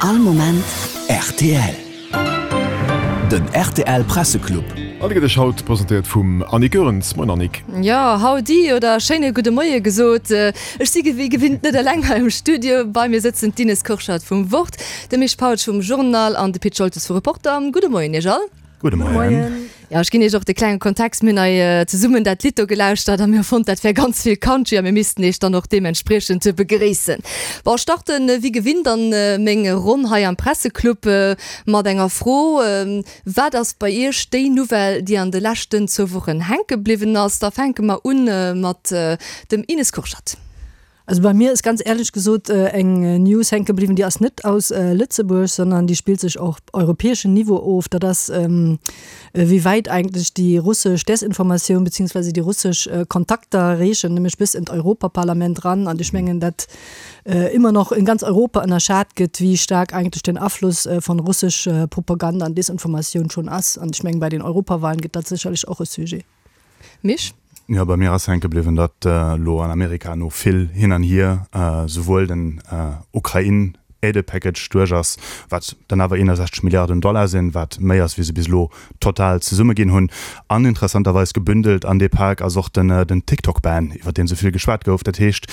All Moment rtl. Den rtl Presseclub. An dee gëtt iech haut presentéiert vum Annick Goerens. Moien Annick. Jo, Howdy oder schéine gudde Moie gesot. Ech si wéi gewinnt net eleng hei am Studio. Bei mir sëtzen d'Ines Kurschat vum Wort, de Misch Pautsch vum Journal an de Pit Scholtes vu Reporter. Gudde Moien iech all. Gudde Moien. Jo, ech ginn iech och de klenge Kontext, Mir hunn hei zesummen dat Lidd do gelauschtert a mir hu fonnt, dat wär ganz vill Country a mir missten iech dann och deementspriechend begréissen. Bon, ech starten wéi gewinnt an meng Ronn hei am Presseclub mat enger Fro, Wat ass bei iech déi Nouvelle, déi an de leschten zwou Wochen hänke bliwwen ass? Da fänke mer un mat dem Ines Kurschat. Also bei mir ist ganz ehrlech gesot eng News hänke bliwwen, déi ass net aus Lëtzebuerg, sondern déi spillt sech op europäeschem Niveau of. Dat ass, wéi wäit eigentlech déi russesch Desinformatioun beziehungsweise déi russesch Kontakter reechen, nämlech bis in d'Europaparlament ran. An ech mengen, dat immer noch in ganz Europa ënnerschat gëtt, wéi staark eigentlech den Afluss von russesch Propaganda an Desinformatioun schon ass. An ech mengen, bei den Europawahlen gëtt dat sécherlech och e Sujet. Misch? Jo, bei mir ass hänke bliwwen, datt elo an Amerika no vill hin an hier souwuel den Ukrain-Aide-Package duerch ass, wat dann awer 61 Milliarden Dollar sinn, wat méi ass wéi se bis elo total zesumme ginn hunn. An interessanterweis gebündelt an dee Pak ass och den TikTok-Ban, iwwer deen esou vill geschwat gouf. Dat heescht,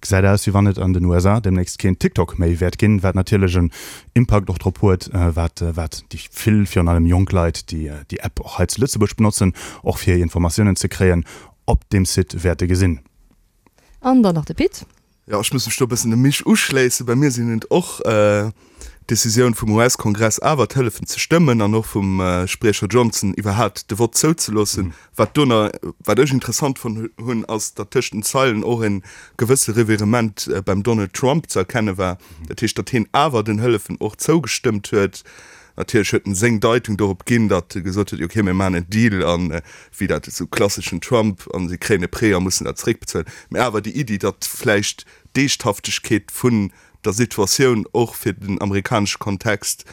Gesäit aus, wéi wann et an den USA deemnächst keen TikTok méi wäert ginn, wat natierlech en Impakt och drop huet, wat wat déi vill, virun allem jonk Leit, déi déi App och hei zu Lëtzebuerg benotzen, och fir hir Informatiounen ze kréien, op deem Site wäerte gesinn. An dann nach de Pit. Jo, ech muss mech do e bëssen dem Misch uschléissen. Bei mir sinn et och d'Decisioun vum US-Kongress awer d'Hëllefen ze stëmmen an och vum Spriecher Johnson iwwerhaapt de Vott zouzeloossen. Wat do na, wat ech interessant fonnt hunn, ass, datt tëscht den Zeilen och e gewësse Revirement beim Donald Trump ze erkenne war. Dat heescht, datt hien awer den Hëllefen och zougestëmmt huet. Natierlech huet en seng Deitung dorop ginn, datt e gesot huet, ok, mir maachen en Deal an wéi dat esou klasseschen Trump, an si kréien e Prêt a mussen dat zeréckbezuelen. Mä awer déi Iddi, datt vläicht d'Eeschthaftegkeet vun der Situatioun och fir den amerikanesche Kontext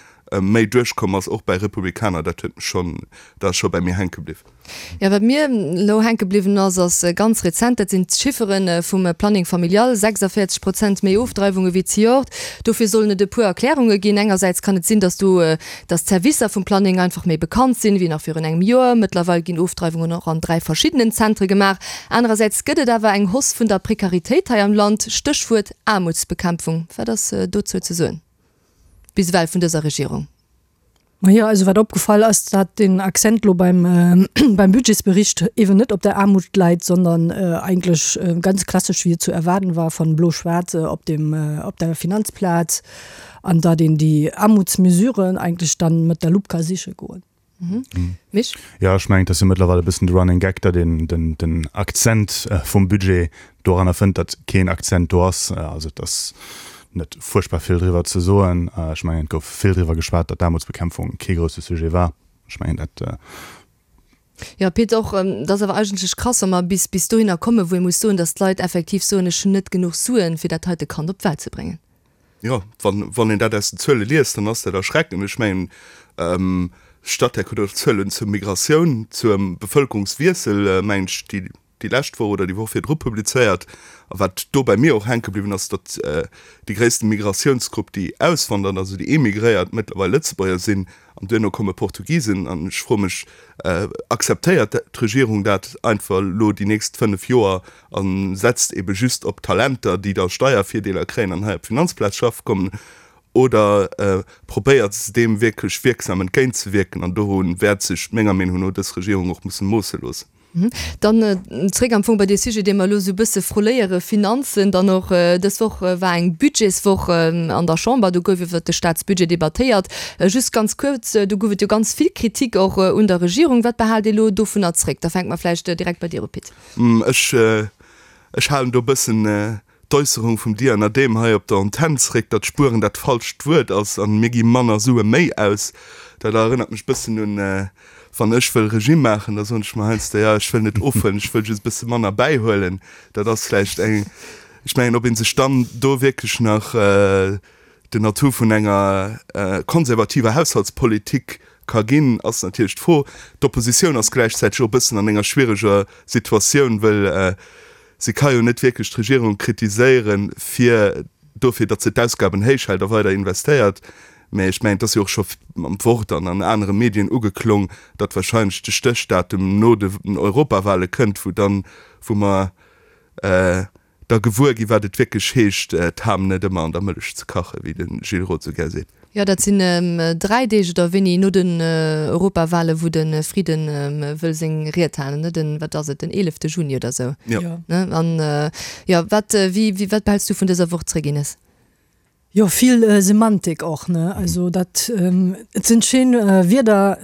méi duerchkomm ass, och bäi Republikaner, dat huet mech schonn, dat ass scho bäi mir hänke bliwwen. Jo, wat mir elo hänke bliwwen ass, ass ganz rezent, dat sinn d'Chiffere vum Planning familial, 46 Prozent méi Ofdreiwunge wéi zejoert. Dofir sollen et e puer Erklärunge ginn. Engersäits kann et sinn, datt do, datt d'Servicer vum Planning einfach méi bekannt sinn, wéi nach virun engem Joer. Mëttlerweil ginn Ofdreiwungen och an 3 verschiddenen Zentre gemaach. Anerersäits gëtt et awer eng Hausse vun der Prekaritéit hei am Land, Stéchwuert Aarmutsbekämpfung. Wat ass dozou ze soen bis ewell vun dëser Regierung? Majo, also wat opgefall ass, datt den Accent lo beim beim Budgetsbericht eeben net op der Aarmut läit, sondern eigentlech ganz klassesch, wéi et zu erwaarden war, von Blo-Schwaarz op dem op der Finanzplaz an datt een déi Aarmutsmesuren eigentlech dann mat der Lupp ka siche goen. Misch? Jo, ech mengen, et ass jo mëttlerweil e bëssen de Running Gag, datt een den, den Akzent vum Budget doranner fënnt, datt keen Akzent do ass. Also et ass net fuerchtbar vill driwwer ze soen. Ech mengen, et gouf vill driwwer geschwat, datt d'Aarmutsbekämpfung kee grousse Sujet war. Ech mengen, dat. Jo, Pit, och dat ass awer eigentlech krass, wa mer bis, bis dohinner kommen, wou ee muss soen, datt d'Leit effektiv soen, ech hunn net genuch Suen, fir dat heite Kand op d'Welt ze bréngen. Jo, wann, wann een dat aus den Zuele liest, dann ass dat erschreckend. Ech mengen, Statec huet och Zuelen zur Migratioun, zum Bevëlkerungswiessel, mengen ech, déi, déi lescht Woch oder déi Woch virdru publizéiert. A wat do bei mir och hänke bliwwen ass, datt déi gréisste Migratiounsgrupp, déi auswandert, also déi emigréiert, mëttlerweil Lëtzebuerger sinn. An duerno komme Portugisen. An ech froe mech, Akzeptéiert d'Regierung dat einfach elo déi nächst 5 Joer a setzt ebe just op Talenter, déi da Steiervirdeeler kréien an hei op d'Finanzplaz schaffe kommen, oder probéiert se deem wierklech wierksam entgéintzewierken? An doru wäert sech menger Meenung no dës Regierung och musse moosse loossen. Dann zréck am Fong bei dee Sujet, dee mer elo esou e bësse froléiere, Finanzen. Dann och dës Woch war eng Budgetswoch an der Chamber, do gouf iwwert de Staatsbudget debattéiert. Just ganz kuerz, do gouf et jo ganz vill Kritik och un der Regierung. Wat behaalt Dir elo dovunner zréck? Da fänke mer vläicht direkt bei dir u, Pit. Ech, ech halen do e bëssen d'Äusserung vum Diana Dehm hei op der Antenn zréck, datt spueren dat falscht Wuert ass an mir gi manner Sue méi aus. Dat erënnert mech bëssen un, wann ech wëll Regime maachen, da soen ech mer heiansdo, jo ech wëll net ofhuelen, ech wëll just e bësse manner bäihuelen. Dat ass vläicht eng, ech mengen, ob ee sech dann do wierklech nach den Atout vun enger konservativer Haushaltspolitik ka ginn, ass natierlech d'Fro. D'Oppositioun ass gläichzäiteg och e bëssen an enger schwiereger Situatioun, wëll Si ka jo net wierklech d'Regierung kritiséieren, fir. dofir, datt se d'Ausgaben héich hält a weider investéiert. Mä ech mengen, et ass jo och scho am Wort an an anere Medien ugeklong, datt wahrscheinlech de Stéchdatum no den Europawale kënnt, wou dann, wou mer da gewuer ginn, wat et wierklech heescht, d'Ham net ëmmer an der Mëllech ze kachen, wéi de Gilles Roth esou gär seet. Jo, dat sinn 3 Deeg oder wéini no den Europawale wou de Frieden wëll seng Ried halen, ne? Den, wat ass et, den 11 Juni oder sou? Jo. Ne? An jo, wat, wéi, wéi, wat behälls du vun dëser Woch zréck, Ines? Jo, vill Semantik och, ne? Also dat, et sinn schéin Wierder,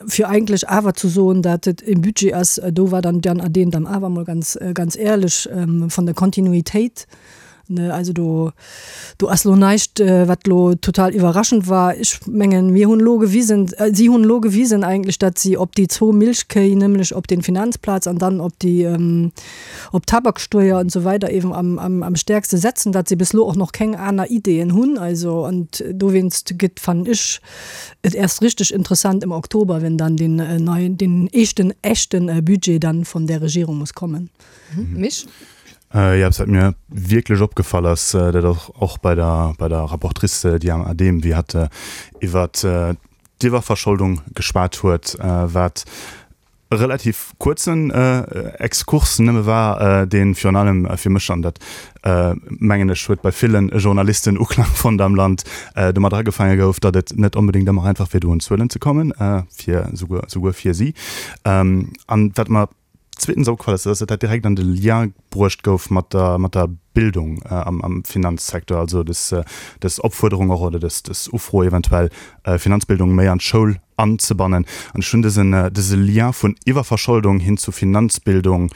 fir eigentlech awer ze soen, dat et e Budget ass, do war dann d'Diane Adehm dann awer emol ganz, ganz éierlech, von der Kontinuitéit. Ne, also do, do ass lo näischt, wat lo total iwwerraschend war. Ech mengen, mir hunn elo gewisen, si hunn elo gewisen eigentlech, datt si op déi zwou Milchkéi, nämlech op den Finanzplaz an dann op déi, op d'Tabaksteuer und so weider eben am, am, am stäerkste setzen, datt si bis elo och noch keng aner Ideeën hunn. Also, an dowéinst gëtt, fannen ech, et erst richtig interessant im Oktober, wenn dann den neien, den éischten echten Budget dann von der Regierung muss kommen. Misch? Jo, eppes wat mir wierklech opgefall ass, dat och och bei der bei der Rapportrice Diane Adehm, wéi hatt iwwert d'Iwwerverscholdung geschwat huet, wat e relativ kuerzen Exkurs nëmme war, dee virun allem fir mech, an dat mengen ech huet bei ville Journalisten Uklang fonnt am Land, domat agefaange gouf, datt et net onbedéngt ëmmer einfach wier do un Zuelen ze kommen, fir souguer souguer fir si. An wat mer Zweetens opgefall ass, dass dat direkt an de Lien bruecht gouf mat der, mat der Bildung am, am Finanzsecteur, also dës, dës Opfuerderung och oder dës, dës Ufro eventuell, Finanzbildung méi an d'Schoul anzebannen. An ech hunn dësen, dëse Lien vun Iwwerverscholdung hin zu Finanzbildung,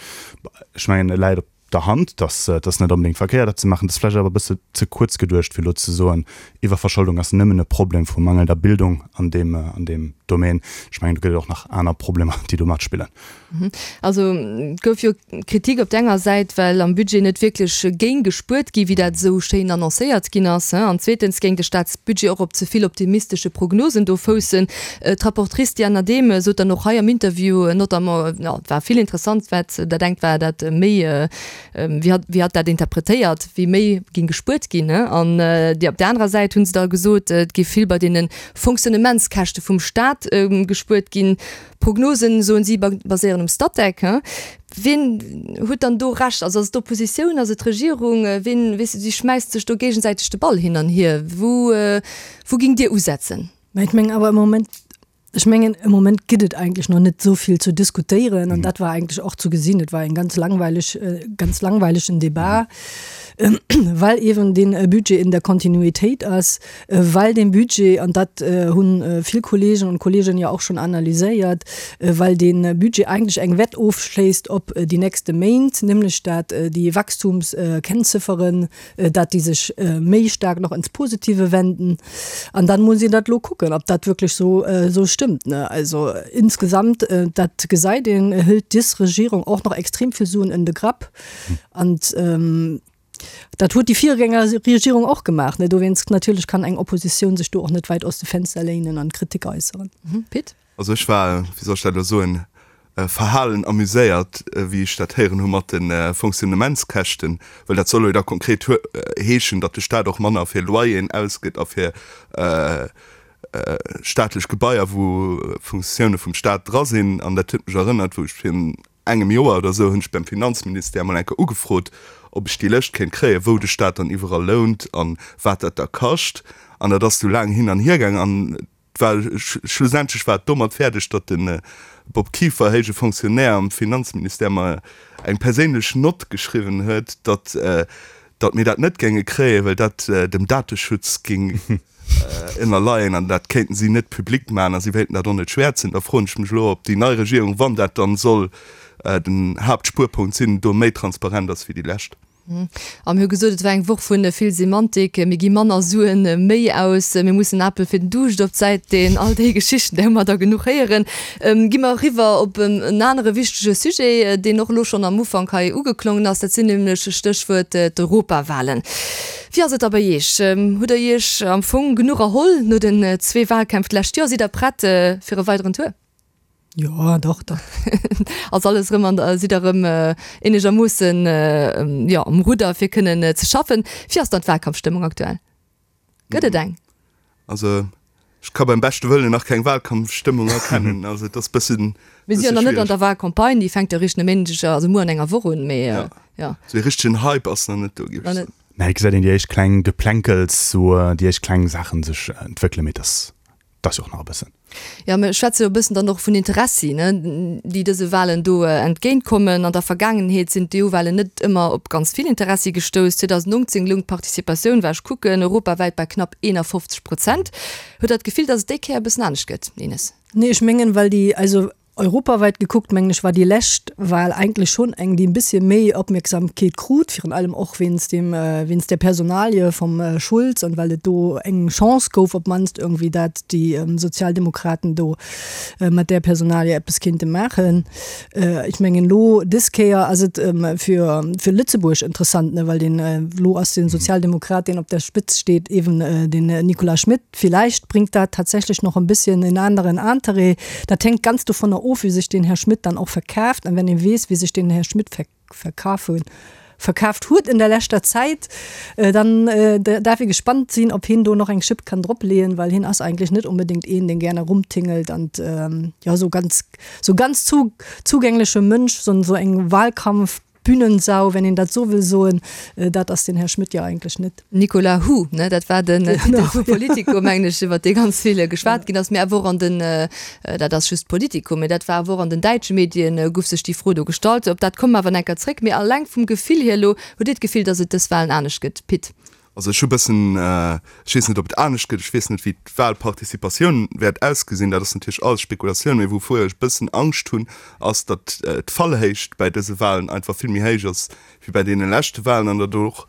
ech mengen, e läit op der Hand, dass et ass net onbedéngt verkéiert dat ze maachen, et ass vläicht awer e bësse ze kuerz geduecht fir elo ze soen, Iwwerverscholdung ass nëmmen e Problem vu mangelnder Bildung an deem an deem Domaine. Ech mengen do gëtt et och nach aner Problemer déi do matspillen. Also et gouf jo Kritik op der enger Säit, well am Budget net wierklech géing gespuert gi wéi dat esou schéin annoncéiert ginn ass, an zweetens géing de Staatsbudget och op ze vill optimistesche Prognosen do foussen. D'Rapportrice Diane Adehm sot dann och hei am Interview notamment, jo, et war vill interessant, wat dat engt war dat méi, wéi hatt, wéi hatt dat interpretéiert, wéi méi géing gespuert ginn. An déi op där anerer Säit hu se da gesot, et géif vill bei deene Fonctionnementskäschte vum Staat gespuert ginn. D'Prognosen, soen si, baséieren um Statec. Wien huet dann do Recht? Also ass et d'Oppositioun, ass et d'Regierung? Wien, weess de, si schmäisst sech do géigesäiteg de Ball hin an hier. Wou, wou géingt Dir usetzen? Mä ech mengen awer am Moment, ech mengen am Moment gëtt et eigentlech nach net esou vill ze diskutéieren an dat war eigentlech och ze gesinn. Et war eng ganz langweileg, ganz langweilegen Debat, well eeben dee Budget in der Kontinuitéit ass, well dee Budget, an dat hu vill Kolleegen und Kolleginnen jo och schonn analyséiert, well dee Budget eigentlech eng Wett ofschléisst op déi nächste Méint, nämlech dat déi Wachstumskennzifferen, dat déi sech méi staark nach ins Positive wenden. An dann muss een dat elo kucken, ob dat wierklech esou esou stëmmt, ne. Also insgesamt, dat gesäit een, hëlt des Regierung och nach extrem vill Suen en de Grapp. An dat huet déi Virgängerregierung och gemaach, ne. Dowéinst natierlech kann eng Oppositioun sech do och net wäit aus de Fenster léinen an Kritik äusseren. Pit? Also ech war, wéi soll ech dat elo soen, verhalen amuséiert, wéi ech dat héieren hu mat de Fonctionnementskäschten, well dat soll jo da konkret heeschen, datt de Staat och manner fir Loyeren ausgëtt a fir staatlech Gebaier, wou Funktioune vum Staat dra sinn. An dat huet mech erënnert, wou ech virun engem Joer oder esou hunn ech beim Finanzministère mol eng Kéier ugefrot, ob ech déi Lëscht kéint kréien, wou de Staat dann iwwerall lount an wat dat da kascht. An dat ass du laang hin an hier gaangen an Well schlussendlech war et domat fäerdeg, datt de Bob Kieffer, héije Fonctionnaire am Finanzministère, mer eng perséinlech Nott geschriwwen huet, datt datt mir dat net géinge kréien, well dat dem Dateschutz géing ënnerleien an dat kéinten si net public maachen a si wéilten dat och net schwäerzen. Da froen ech mech elo, ob déi nei Regierung, wann dat dann soll den Haaptspuerpunkt sinn, do méi transparent ass wéi déi lescht. A mir hu gesot, et war eng Woch vu vill Semantik, mir gi manner Suen méi aus, mir mussen Apel fir den Duuscht op d'Säit deen, all déi Geschichten, där hu mer der genuch héieren. Gi mer eriwwer op en anere wichtege Sujet, deen och elo schonn am Ufank hei ugeklongen ass, dat sinn nämlech, Stéchwuert, d'Europawahlen. Wéi ass et da bei Iech? Hutt Der Iech am Fong genuch erholl no den zwee Wahlkämpf d'lescht Joer? Sidd Der prett fir e weideren Tour? Jo, dach, dach. Ass alles erëm an der, sidd der erëm eenegermoossen, jo, um Rudder fir kënnen ze schaffen. Wéi ass dann d'Wahlkampfstëmmung aktuell? Gëtt et eng? Also ech ka beim beschte Wëllen nach keng Wahlkampfstëmmung erkennen. Also et ass bëssen. Mir si jo nach net an der Wahlcampagne, déi fänkt jo eréischt e Méindeg, also muer an enger Woch un, mee jo. Ja. Sou ee richtegen Hype ass nach net do, géif ech soen. Mä et gesäit een déi éischt kleng Geplänkels, sou déi éischt kleng Saachen sech entwéckelen, mee et ass 't ass jo och nach e bëssen. Jo, mir schwätze jo e bëssen dann och vun Interessi, ne, déi dëse Wahlen do entgéint kommen. An der Vergaangenheet sinn d'EU-Wahlen net ëmmer op ganz vill Interessi gestouss. 2019 loung d'Participatioun, war ech kucken, europawäit bei knapp 51 Prozent. Hutt Der d'Gefill, datt et déi Kéier e bëssen anescht gëtt, Ines? Nee, ech mengen, well déi, also Europawäit gekuckt, mengen ech, war déi lescht Wahl eigentlech schonn eng, déi e bëssche méi Opmierksamkeet krut, virun allem och wéinst deem, wéinst där Personalie vum Schulz an well et do eng Chance gouf op d'mannst irgendwie, dat déi Sozialdemokraten do mat där Personalie eppes kéinte maachen. Ech mengen elo dës Kéier ass et fir, fir Lëtzebuerg interessant, ne, well deen, elo ass den Sozialdemokrat, deen op der Spëtz steet, eeben den Nicolas Schmit. Vielleicht bringt dat tatsächlich noch en bisschen en aneren Interêt. Dat hänkt ganz dovunner of, wéi sech den Här Schmit dann och verkaaft. An wenn ee weess, wéi sech den Här Schmit verkafe verkaaft huet in der leschter Zäit, dann darf ee gespannt sinn, ob hien do noch eng Schipp kann drop leeën, well hien ass eigentlech net unbedéngt een, deen gerne rumtingelt an jo sou ganz sou ganz zugängleche Mënsch, sou eng Wahlkampf Bühnensau, wenn een dat sou wëll soen, dat ass den Här Schmit jo eigentlech net. Nicolas Hue, ne, dat war den Titel vu Politico, mengen ech, iwwer dee ganz vill geschwat ginn ass, mee awer och an den, dat ass just Politico, mee dat war awer och an den däitsche Medien, guff sech déi Fro do gestallt. Op dat komme mer awer enker zréck. Mee alleng vum Gefill hier elo, hutt Dir d'Gefill, datt et dës Wahlen anescht gëtt, Pit? Also ech hu bëssen, ech weess net, ob et anescht gëtt, ech weess net, wéi d'Wahlparticipatioun wäert ausgesinn, dat ass natierlech alles Spekulatioun, mee wouvuer ech e bëssen Angscht hunn, ass, datt d'Fallhéicht bäi dëse Wahlen einfach vill méi héich ass wéi bäi deene leschte Wahlen an datt och,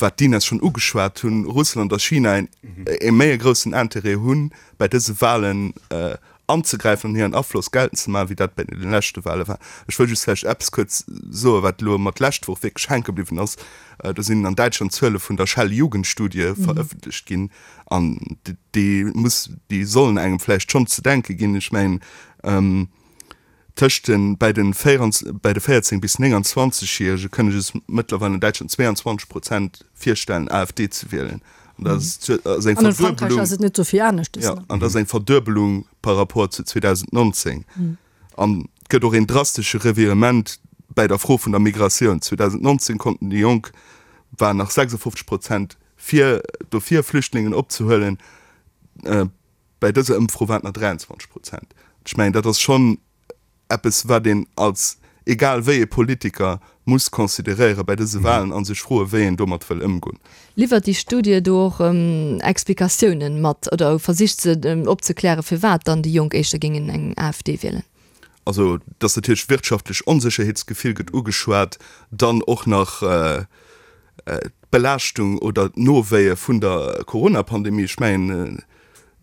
wat d'Ines schonn ugeschwat hunn, Russland a China e méi e groussen Intérêt hunn, bäi dëse Wahlen anzegräifen an hiren Afloss geltend ze maachen, wéi dat bei de leschte Wahle war. Ech wëll just vläicht eppes kuerz soen, wat elo mat d'lescht Woch wierklech hänke bliwwen ass. Do sinn an Däitschland d'Zuele vun der Shell-Jugendstudie verëffentlecht ginn an déi muss, déi sollen engem vläicht schonn ze denke ginn. Ech mengen, tëscht den, bäi den bäi de 14 bis 29 Järege kënne sech mëttlerweil an Däitschland 22 Prozent virstellen, AfD ze wielen. An dat ass eng Verduebelung. Ass et net sou vill anescht. Ja, an dat ass eng Verduebelung par rapport zu 2019. An et gëtt och een drastesche Revirement bäi der Fro vun der Migratioun. 2019 konnten déi Jonk, waren nach 56 Prozent fir, dofir Flüchtlingen opzehuelen. Bäi dëser Ëmfro waren et nach 23 Prozent. Ech mengen, dat ass schonn eppes, wat een als egal wéi ee Politiker muss consideréiere bäi dëse Wahlen a sech froen, wéi een domat wëll ëmgoen. Liwwert déi Studie do och Explikatiounen mat oder versicht se opzeklären, firwat dann déi Jonk éischter géingen eng AfD wielen? Also, dass natierlech wirtschaftlech Onsécherheetsgefill gëtt ugeschwat, dann och nach d'Belaaschtung oder d'Nowéie vun der Corona-Pandemie. Ech mengen,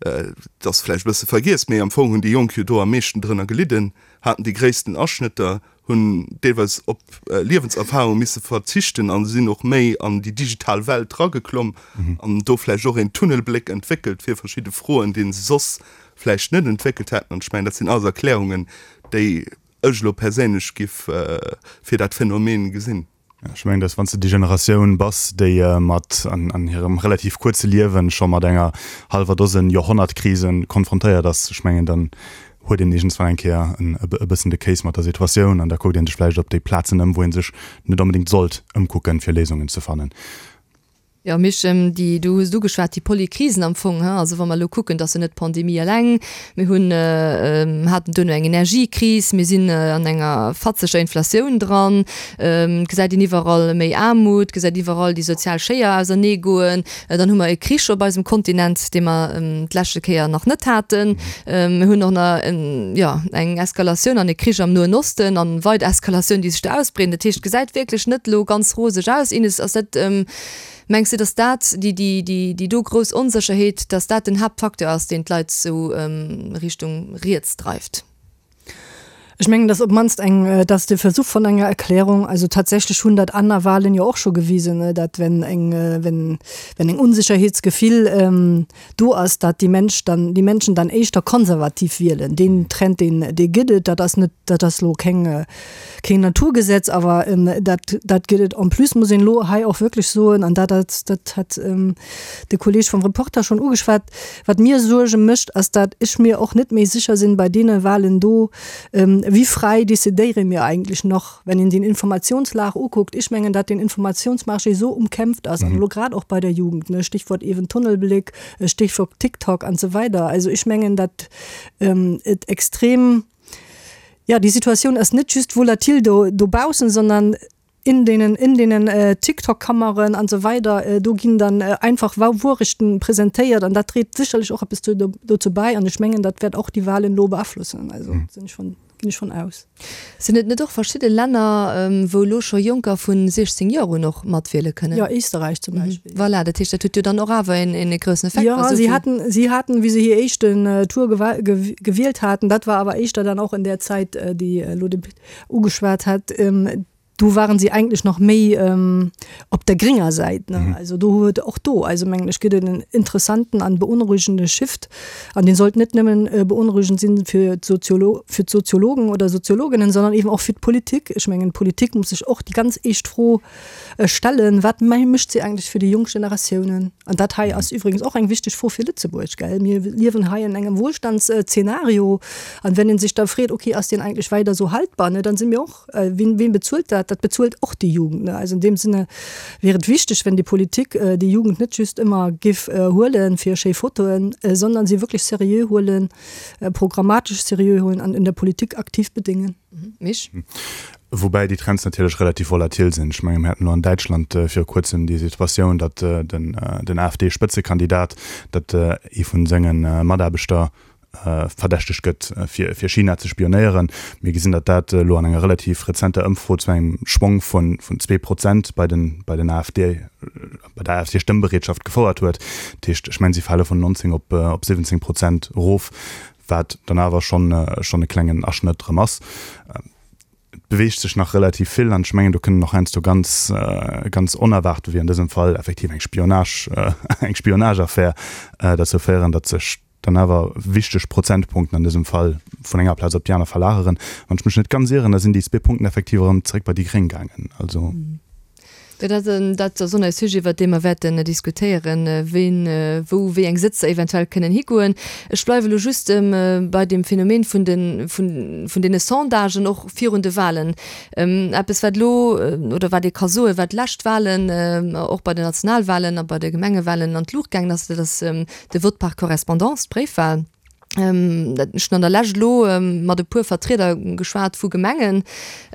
et ass vläicht e bësse vergiess, mee am Fong hunn déi Jonk jo do am meeschten drënner gelidden, haten déi gréissten Aschnëtter, hunn deelweis op Liewenserfarunge misse verzichten a sinn och méi an déi digital Welt rageklomm an do vläicht och een Tunnelbléck entwéckelt fir verschidde Froen, dee se soss vläicht net entwéckelt hätten. An ech mengen, dat sinn alles Erklärungen, déi ech elo perséinlech giff fir dat Phänomen gesinn. Ech mengen, dass wann s de déi Generatioun bass, déi mat an hirem relativ kuerze Liewen scho mat enger hallwer Dosen Joerhonnertkrisen konfrontéiert ass, ech mengen, dann huet een iergendswann eng Kéier e bëssen de Kéis mat der Situatioun an da kuckt ee sech vläicht op déi Plazen ëm, wou ee sech net onbedéngt sollt ëmkucken, fir Léisungen ze fannen. Jo, Misch, déi, du hues et ugeschwat, déi Polykrisen am Fong, he, also wa mer elo kucken, dass jo net d'Pandemie eleng, mir hunn, haten duerno eng Energiekris, mir sinn an enger fatzeger Inflatioun dran, et gesäit een iwwerall méi Aarmut, et gesäit iwwerall déi sozial Schéier auserneegoen, dann hu mer e Krich op eisem Kontinent, dee mer d'leschte Kéier nach net haten, mir hunn och nach, jo, eng Eskalatioun an e Krich am Noen Osten an weider Eskalatioun, déi sech do ausbreeden. Dat heescht, et gesäit wierklech net elo ganz roseg aus. Ines, ass dat, Mengs de, datt dat, déi, déi, déi, déi do grouss Onsécherheet, datt dat den Haaptfacteur ass, deen d'Leit sou Richtung riets dreift? Ech mengen, dass op d'mannst eng, dass de Versuch von enger Erklärung, also tatsächlech hunn dat aner Wahlen jo och scho gewisen, dat wenn eng, wenn, wenn eng Unsicherheetsgefill do ass, dat déi Mensch dann, déi Menschen dann éischter konservativ wielen. Deen Trend, deen, dee gëtt et, dat ass net, dat ass elo keng, keen Naturgesetz, awer dat, dat gëtt et. En plus muss een elo hei och wierklech soen, an dat ass, dat hat de Kolleg vum Reporter schonn ugeschwat, Wat mir Suerge mécht, ass dat ech mir och net méi sécher sinn bei deene Wahlen do, wéi fräi decidéiere mir eigentlech nach, wenn een den Informationslag ukuckt. Ech mengen, dat den Informationsmarché esou umkämpft ass, an elo grad och bei der Jugend, ne, Stichwort eben Tunnelblick, Stichwort TikTok an esou weider. Also ech mengen, dat et extrem, jo, déi Situatioun ass net just volatil do dobaussen, sondern in deenen, in deenen TikTok-Kammeren an esou weider, do ginn dann einfach Wourechten presentéiert an dat dréit sécherlech och eppes dozou bäi an ech mengen, dat wäert och déi Wahlen elo beaflossen, also sinn ech von, ginn ech von aus. Sinn et net och verschidde Länner, wou elo scho Jonker vu 16 Joer un och matwiele kënnen? Jo, Éisterräich zum Beispill. Voilà, dat heescht, dat huet jo dann och awer een groussen Effekt. Jo, si haten, si haten, wéi se hir éischten Tour gewielt haten, dat war awer éischter dann och in där Zäit, déi elo de ugeschwat hat, do waren sie eigentlich noch méi ähm, op der gringer Säit. Ne? Mhm. Also do huet och do, also mengen ech gëtt et en interessanten an beunruhigende Shift an den sollt net nëmmen äh, beunruhigend sinn fir d'Soziolo fir d'Soziologen oder Soziologinnen, sondern eben och fir d'Politik. Ech mengen d'Politik muss sech och déi ganz eescht Fro äh, stellen, wat mécht se eigentlich fir déi jonk Generatiounen? An dat hei ass übrigens och eng wichteg Fro fir Lëtzebuerg, gell? Mir liewen hei an engem Wohlstandsszenario an wenn een sech da freet, okay, ass deen eigentlech weider esou haltbar, ne, dann si mir och, wien, wien bezuelt dat? Dat bezuelt och déi Jugend, ne? Also in deem Sinne wier et wichteg, wenn déi Politik déi Jugend net just ëmmer giff huelen fir schéi Fotoen, sondern si wierklech seriö huelen, programmatesch seriö huelen an in der Politik aktiv bedéngen. Mich. Woubäi déi Trends natierlech relativ volatil sinn. Ech menge mir haten elo an Däitschland viru kuerzem déi Situatioun, datt den AfD-Spëtzekandidat, datt ee vu senge Mataarbechter verdächtegt gëtt, fir China ze spionéieren. Mir gesinn, datt dat elo an enger relativ rezenter Ëmfro zu engem Schwong vun 2 Prozent bei den bei den AfD, bei der AfD-Stëmmbereetschaft gefouert huet. Dat heescht, ech mengen, si fale vun 19 op 17 Prozent erof. Wat dann awer schonn schonn e klengen Aschnëtt erëm ass. Et beweegt sech nach relativ vill an ech mengen, do kënnen och heiansdo ganz, ganz onerwaart, wéi an dësem Fall effektiv eng Spionage, eng Spionageaffär derzou féieren, datt sech dann awer wichteg Prozentpunkten an dësem Fall vun enger Plaz op déi aner verlageren. Wann ech mech net ganz ieren, da sinn déi zwee Punkten effektiv erëm zeréck bei déi Gréng gaangen. Also. Jo, dat, dat ass och nach e Sujet, iwwert dee mer wäerten diskutéieren, ween wou wéi eng Sëtzer eventuell kënnen higoen. Ech bleiwe elo just bei deem Phänomen vun de, vun, vun deene Sondagen och virun de Wahlen. Eppes, wat elo, oder wat ee ka soen, wat d'lescht Wahlen, och bei den Nationalwahlen a bei de Gemengewahlen an d'Luucht gaangen ass, dat ass de Vote par correspondance, d'Bréifwahl. Ech hunn an der Lescht elo mat e puer Vertrieder geschwat vu Gemengen,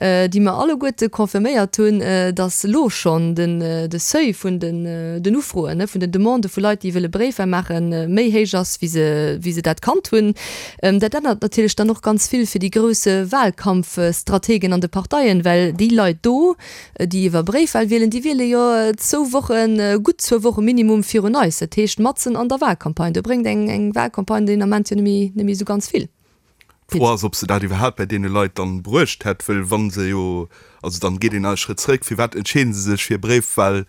déi mer alleguerte confirméiert hunn, datt elo schonn de Seuil vun den Ufroen, vun den Demandë vu Leit, déi wëlle Bréifwahl maachen, méi héich ass, wéi se, wéi se dat kannt hunn. Dat ännert natierlech dann och ganz vill fir déi grouss Wahlkampfstrategen an de Parteien, well déi Leit do, Déi iwwer Bréifwahl wielen, déi wiele jo zwou Wochen, gutt zwou Woche Minimum virun eis. Dat heescht matzen an der Wahlcampagne. Do bréngt eng eng Wahlcampagne deen Ament jo net méi esou ganz vill. D'Fro ass, ob se dat iwwerhaapt bei deene Leit dann bruecht hätt, wëll wa se jo, also dann geet een nach e Schrëtt zréck, firwat entscheeden se sech fir Bréifwahl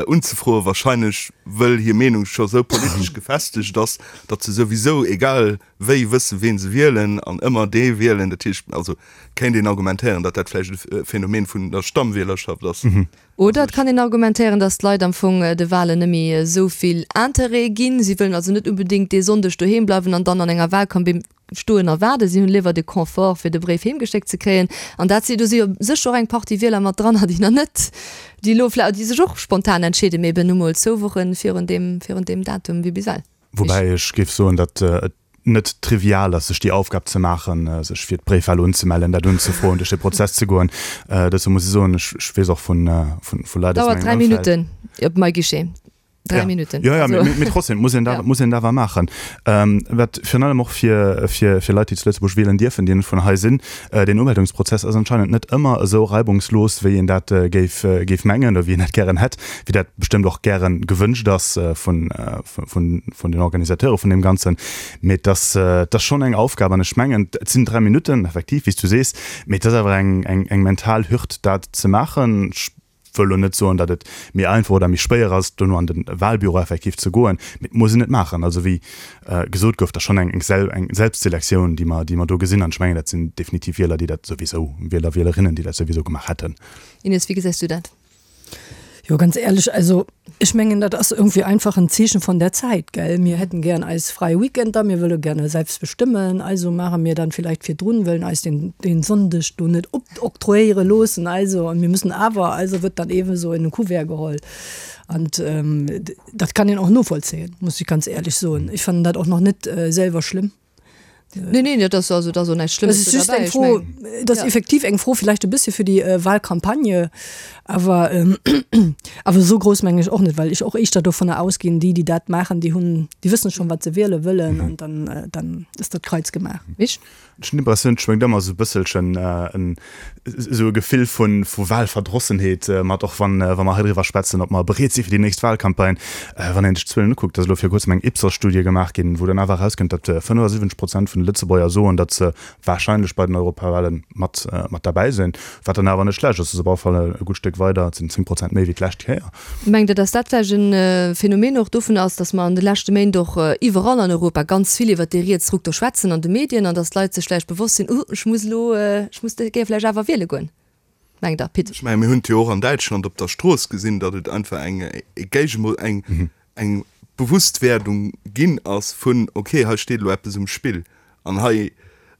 unzefroen? Wahrscheinlech wëll hir Meenung scho sou politesch gefestegt ass, datt se souwisou egal wéi wëssen, ween se wielen an ëmmer dee wielen. Dat heescht, also kéint een argumentéieren, datt dat vläicht e Phänomen vun der Stammwielerschaft ass. Oder et kann een argumentéieren, datt d'Leit am Fong de Wahlen net méi esou vill Interêt ginn. Si wëllen also net unbedéngt dee Sonndeg doheem bleiwen an dann an enger Wahlkabinn stoen a waarden. Si hunn léiwer de Confort, fir de Bréif heemgeschéckt ze kréien. An dat si, do si jo sécher och eng Partie Wieler mat dran, déi nach net, déi elo vläicht, déi sech och spontan entscheeden, mee eben nu mol zwou Woche virun deem, virun deem Datum wéi bis ewell. Woubäi ech géif soen, datt et net trivial ass, sech déi Aufgab ze maachen, sech fir d'Bréifwahl unzemellen, dat unzefroen, duerch de Prozess ze goen. Dozou muss ech soen, ech weess och vu Leit aus mengem Ëmfeld. Dauert 3 Minutten op MyGuichet. 3 ja. Minuten. Ja, ja, also. Mee trotzdem muss een dat, muss een dat awer maachen. Ähm, wat virun allem och fir, fir, fir Leit, déi zu Lëtzebuerg wielen dierfen, déi net vun hei sinn, äh, den Umeldungsprozess ass anscheinend net ëmmer esou reibungslos, wéi een dat äh, géif, äh, géif mengen oder wéi een dat gären hätt, wéi dat bestëmmt och gären gewënscht ass äh, vun, äh, vun, vun den Organisateure vun deem Ganzen. Mee et ass, äh, et ass schonn eng Aufgab an ech mengen, et sinn 3 Minutten, effektiv, wéi s du sees, mee et ass awer eng, eng, eng mental Hürd, dat ze maachen. Ech wëll elo net soen, datt et méi einfach oder méi schwéier ass, dono an de Wahlbüro effektiv ze goen, mee et muss een et maachen. Also wéi gesot gouf, dat ass schonn eng eng Selbstselektioun, déi mer, déi mer do gesinn. An ech mengen, dat sinn definitiv Wieler, déi dat souwisou, Wieler, Wielerinnen, déi dat souwisou gemaach hätten. Ines, wéi gesäis du dat? Jo, ganz ehrlech, also ech mengen, dat ass irgendwie einfach en Zeechen von der Zeit, gell. Mir hätten gern eis fräi Weekender, mir wëlle gerne selbst bestimmen, also maache mir dann vielleicht virdrun, wëllen eis den, den Sonndeg do net opoktroyéiere loossen, also, an mir müssen awer, also wird dann eben so in den Kuvert geholl. An dat kann een och novollzéien, muss ich ganz ehrlech soen. Ech fannen dat och nach net selwer schlëmm. Nee, nee, dat ass also dat ass och näischt Schlëmmes do derbäi. Ech mengen, dat ass effektiv eng Fro villäicht e bëssche fir déi Wahlcampagne, awer awer esou grouss mengen ech och net, well ech och éischter dovunner ausginn, déi, déi dat maachen, déi hunn, déi wëssen schonn, wat se wiele wëllen an dann dann ass dat Kreiz gemaach. Mich? Ech hunn d'Impressioun, et schwéngt ëmmer esou e bësselchen en esou e Gefill vu vu Wahlverdrossenheet mat, och wann wa mer hei driwwer schwätzen, ob mer bereet si fir déi nächst Wahlcampagne. Wann een sech d'Zuelen ukuckt, ass elo viru kuerzem eng Ipsos-Studie gemaach ginn, wou dann awer erauskënnt, datt 75 Prozent vun de Lëtzebuerger soen, datt se warscheinlech bei den Europawahlen mat mat derbäi sinn, wat dann awer net schlecht ass. Dat ass op alle Fall e gutt Stéck weider, et sinn 10 Prozent méi wéi d'lescht Kéier. Mengt Der, datt dat vläicht e Phänomen och dovun ass, datt mer an de leschte Méint och iwwerall an Europa ganz vill iwwert dee Rietsruck do schwätzen an de Medien an datt d'Leit sech vläicht bewosst sinn, Uh, ech muss elo, ech muss géif vläicht awer wiele goen? Mengt Der, Pit? Ech mengen, mir hunn et jo och an Däitschland op der Strooss gesinn, datt et einfach eng Géigemo-, eng, eng Bewusstwerdung ginn ass vun, okay, hei steet elo eppes um Spill. An hei,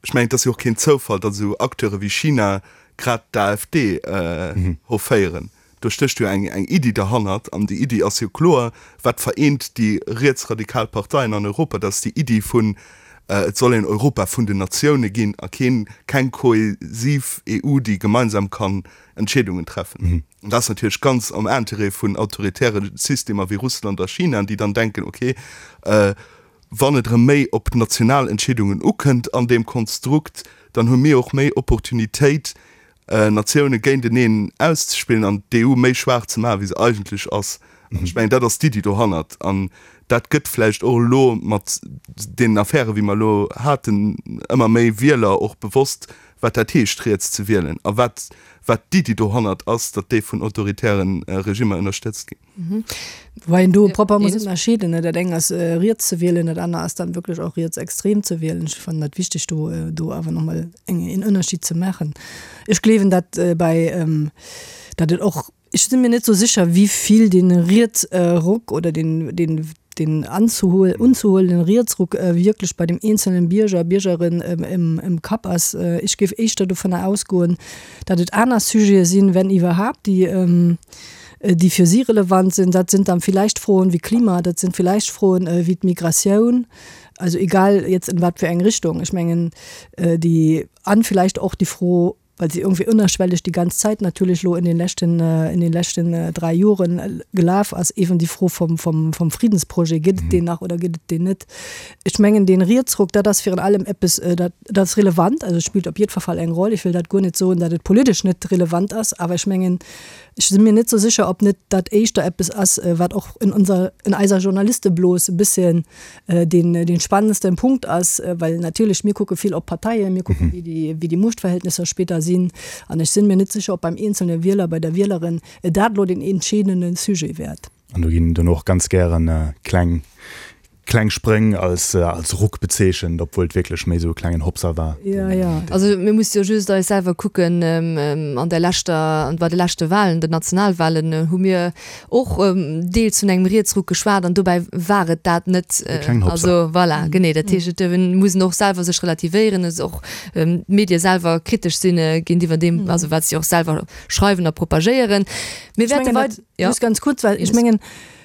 ech mengen, et ass jo och keen Zoufall, datt esou Acteure wéi China grad d'AfD hofféieren. Do stécht jo eng eng Iddi derhannert, an déi Iddi ass jo kloer, Wat vereent déi rietsradikal Parteien an Europa? Dat ass déi Iddi vun, et soll een Europa vun den Natioune ginn a keen, keng kohäsiv EU, déi gemeinsam kann Entscheedungen treffen. An dat ass natierlech ganz am Interêt vun autoritäre Systemer wéi Russland a China, déi dann denken, okay, wann et erëm méi op national Entscheedungen ukënnt an deem Konstrukt, dann hu mir och méi Opportunitéit, Natioune géinteneen auszespillen an d'EU méi schwaach ze maachen, wéi se eigentlech ass. An ech mengen, dat ass d'Iddi dohannert. An dat gëtt vläicht och elo mat deenen Affären, wéi mer elo haten, ëmmer méi Wieler och bewosst, wat dat heescht, riets ze wielen a wat, wat d'Iddi dohannert ass, datt déi vun autoritäre Regimmer ënnerstëtzt ginn. Wobei een do propper muss ënnerscheeden, ne? Dat eng ass riets ze wielen, dat aner ass dann wierklech och rietsextrem ze wielen. Ech fannen dat wichteg do do awer nach mol eng een Ënnerschied ze maachen. Ech gleewen dat bei dat et och, ech si mir net sou sécher wéi vill dee Rietsruck oder deen deen deen anzuhol unzuholenden Rietsruck wierklech bei dem eenzelnen Bierger, Biergerin im im Kapp ass. Ech géif éischter dovunner ausgoen, dat et aner Sujete sinn, wenn iwwerhaapt, déi déi fir si relevant sinn. Dat sind dann vielleicht Froen wéi Klima, dat sind vielleicht Froen wéi d'Migratioun, also egal jetzt in wat fir eng Richtung. Ech mengen déi, an vielleicht och déi Fro, well se irgendwie ënnerschwellig déi ganz Zäit natierlech elo in den leschten, in den leschten dräi Joren gelaf ass, eben déi Fro vom, vom, vom Friedensprojet, Gëtt et deen nach oder gëtt et deen net? Ech mengen dee Rietsruck, dat ass virun allem eppes, dat, dat ass relevant, also et spillt op jiddwer Fall eng Roll. Ech wëll dat guer net soen, datt et politesch net relevant ass, awer ech mengen, Ech si mir net sou sécher, ob net dat éischter eppes ass, wat och in unser, in eiser Journalisteblos e bësschen deen, deen spannendsten Punkt ass, well natierlech mir kucke vill op d'Parteien, mir kucken, wéi déi, wéi déi Muechtverhältnisser spéider sinn. An ech sinn mir net sécher, ob beim eenzelne Wieler, bei der Wielerin dat elo deen entscheedende Sujet wäert. An do ginn dann och ganz gären kleng, kleng Spréng als, als Ruck bezeechent, obwuel et wierklech méi esou e klengen Hopser war. Ja, ja. Also mir musse jo just eis selwer kucken, an der leschter, bei de leschte Wahlen, den Nationalwahlen, hu mir och deels vun engem Rietsruck geschwat an dobäi war et dat net. E klengen Hopser. Also voilà, genee. Dat heescht, et muss een och selwer sech relativéieren, et och d'Medie selwer kritesch sinn géintiwwer deem, also wat si och selwer schreiwen a propagéieren. Mir wäerte wei. Ja. Just ganz kurz, well ech mengen,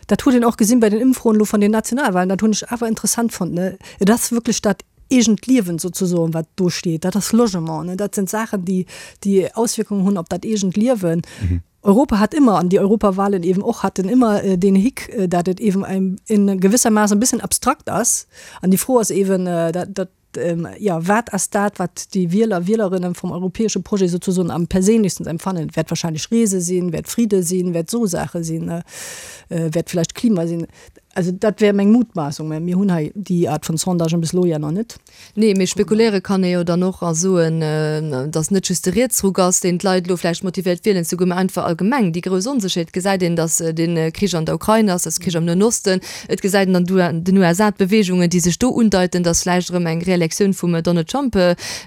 dat huet een och gesinn bei den Ëmfroen elo vun den Nationalwahlen, dat hunn ech awer interessant fonnt, ne, et ass wierklech dat eegent Liewen sozesoen, wat do steet, dat ass Logement, ne, dat sinn Saachen, déi, déi Auswierkungen hunn op dat eegent Liewen. Europa hat immer, an die Europawahlen eben och, hatten immer den Hick, dat et eben in gewissermaßen e bisschen abstrakt ass. An déi Fro ass eben, dat, dat, jo, wat ass dat, wat déi Wieler, Wielerinnen vum europäesche Projet sozusoen am perséinlechsten empfannen? Wäert wahrscheinlech Reese sinn, wäert Fridde sinn, wäert esou Saache sinn, wäert vläicht Klima sinn. Also dat wär meng Mutmaßung, mä mir hunn hei déi Aart vun Sondagen bis elo ja nach net. Nee, mee spekuléiere kann ee jo dann och a soen, datt net just de Rietsruck ass, deen d'Leit elo vläicht motivéiert wielen ze goen, mä einfach allgemeng déi grouss Onsécherheet. Et gesäit een, datt de Krich an der Ukrain ass, datt Krich am Noen Osten. Et gesäit een an den USA d'Beweegungen, déi sech do undeiten, datt vläicht erëm eng Reelektioun vum Donald Trump,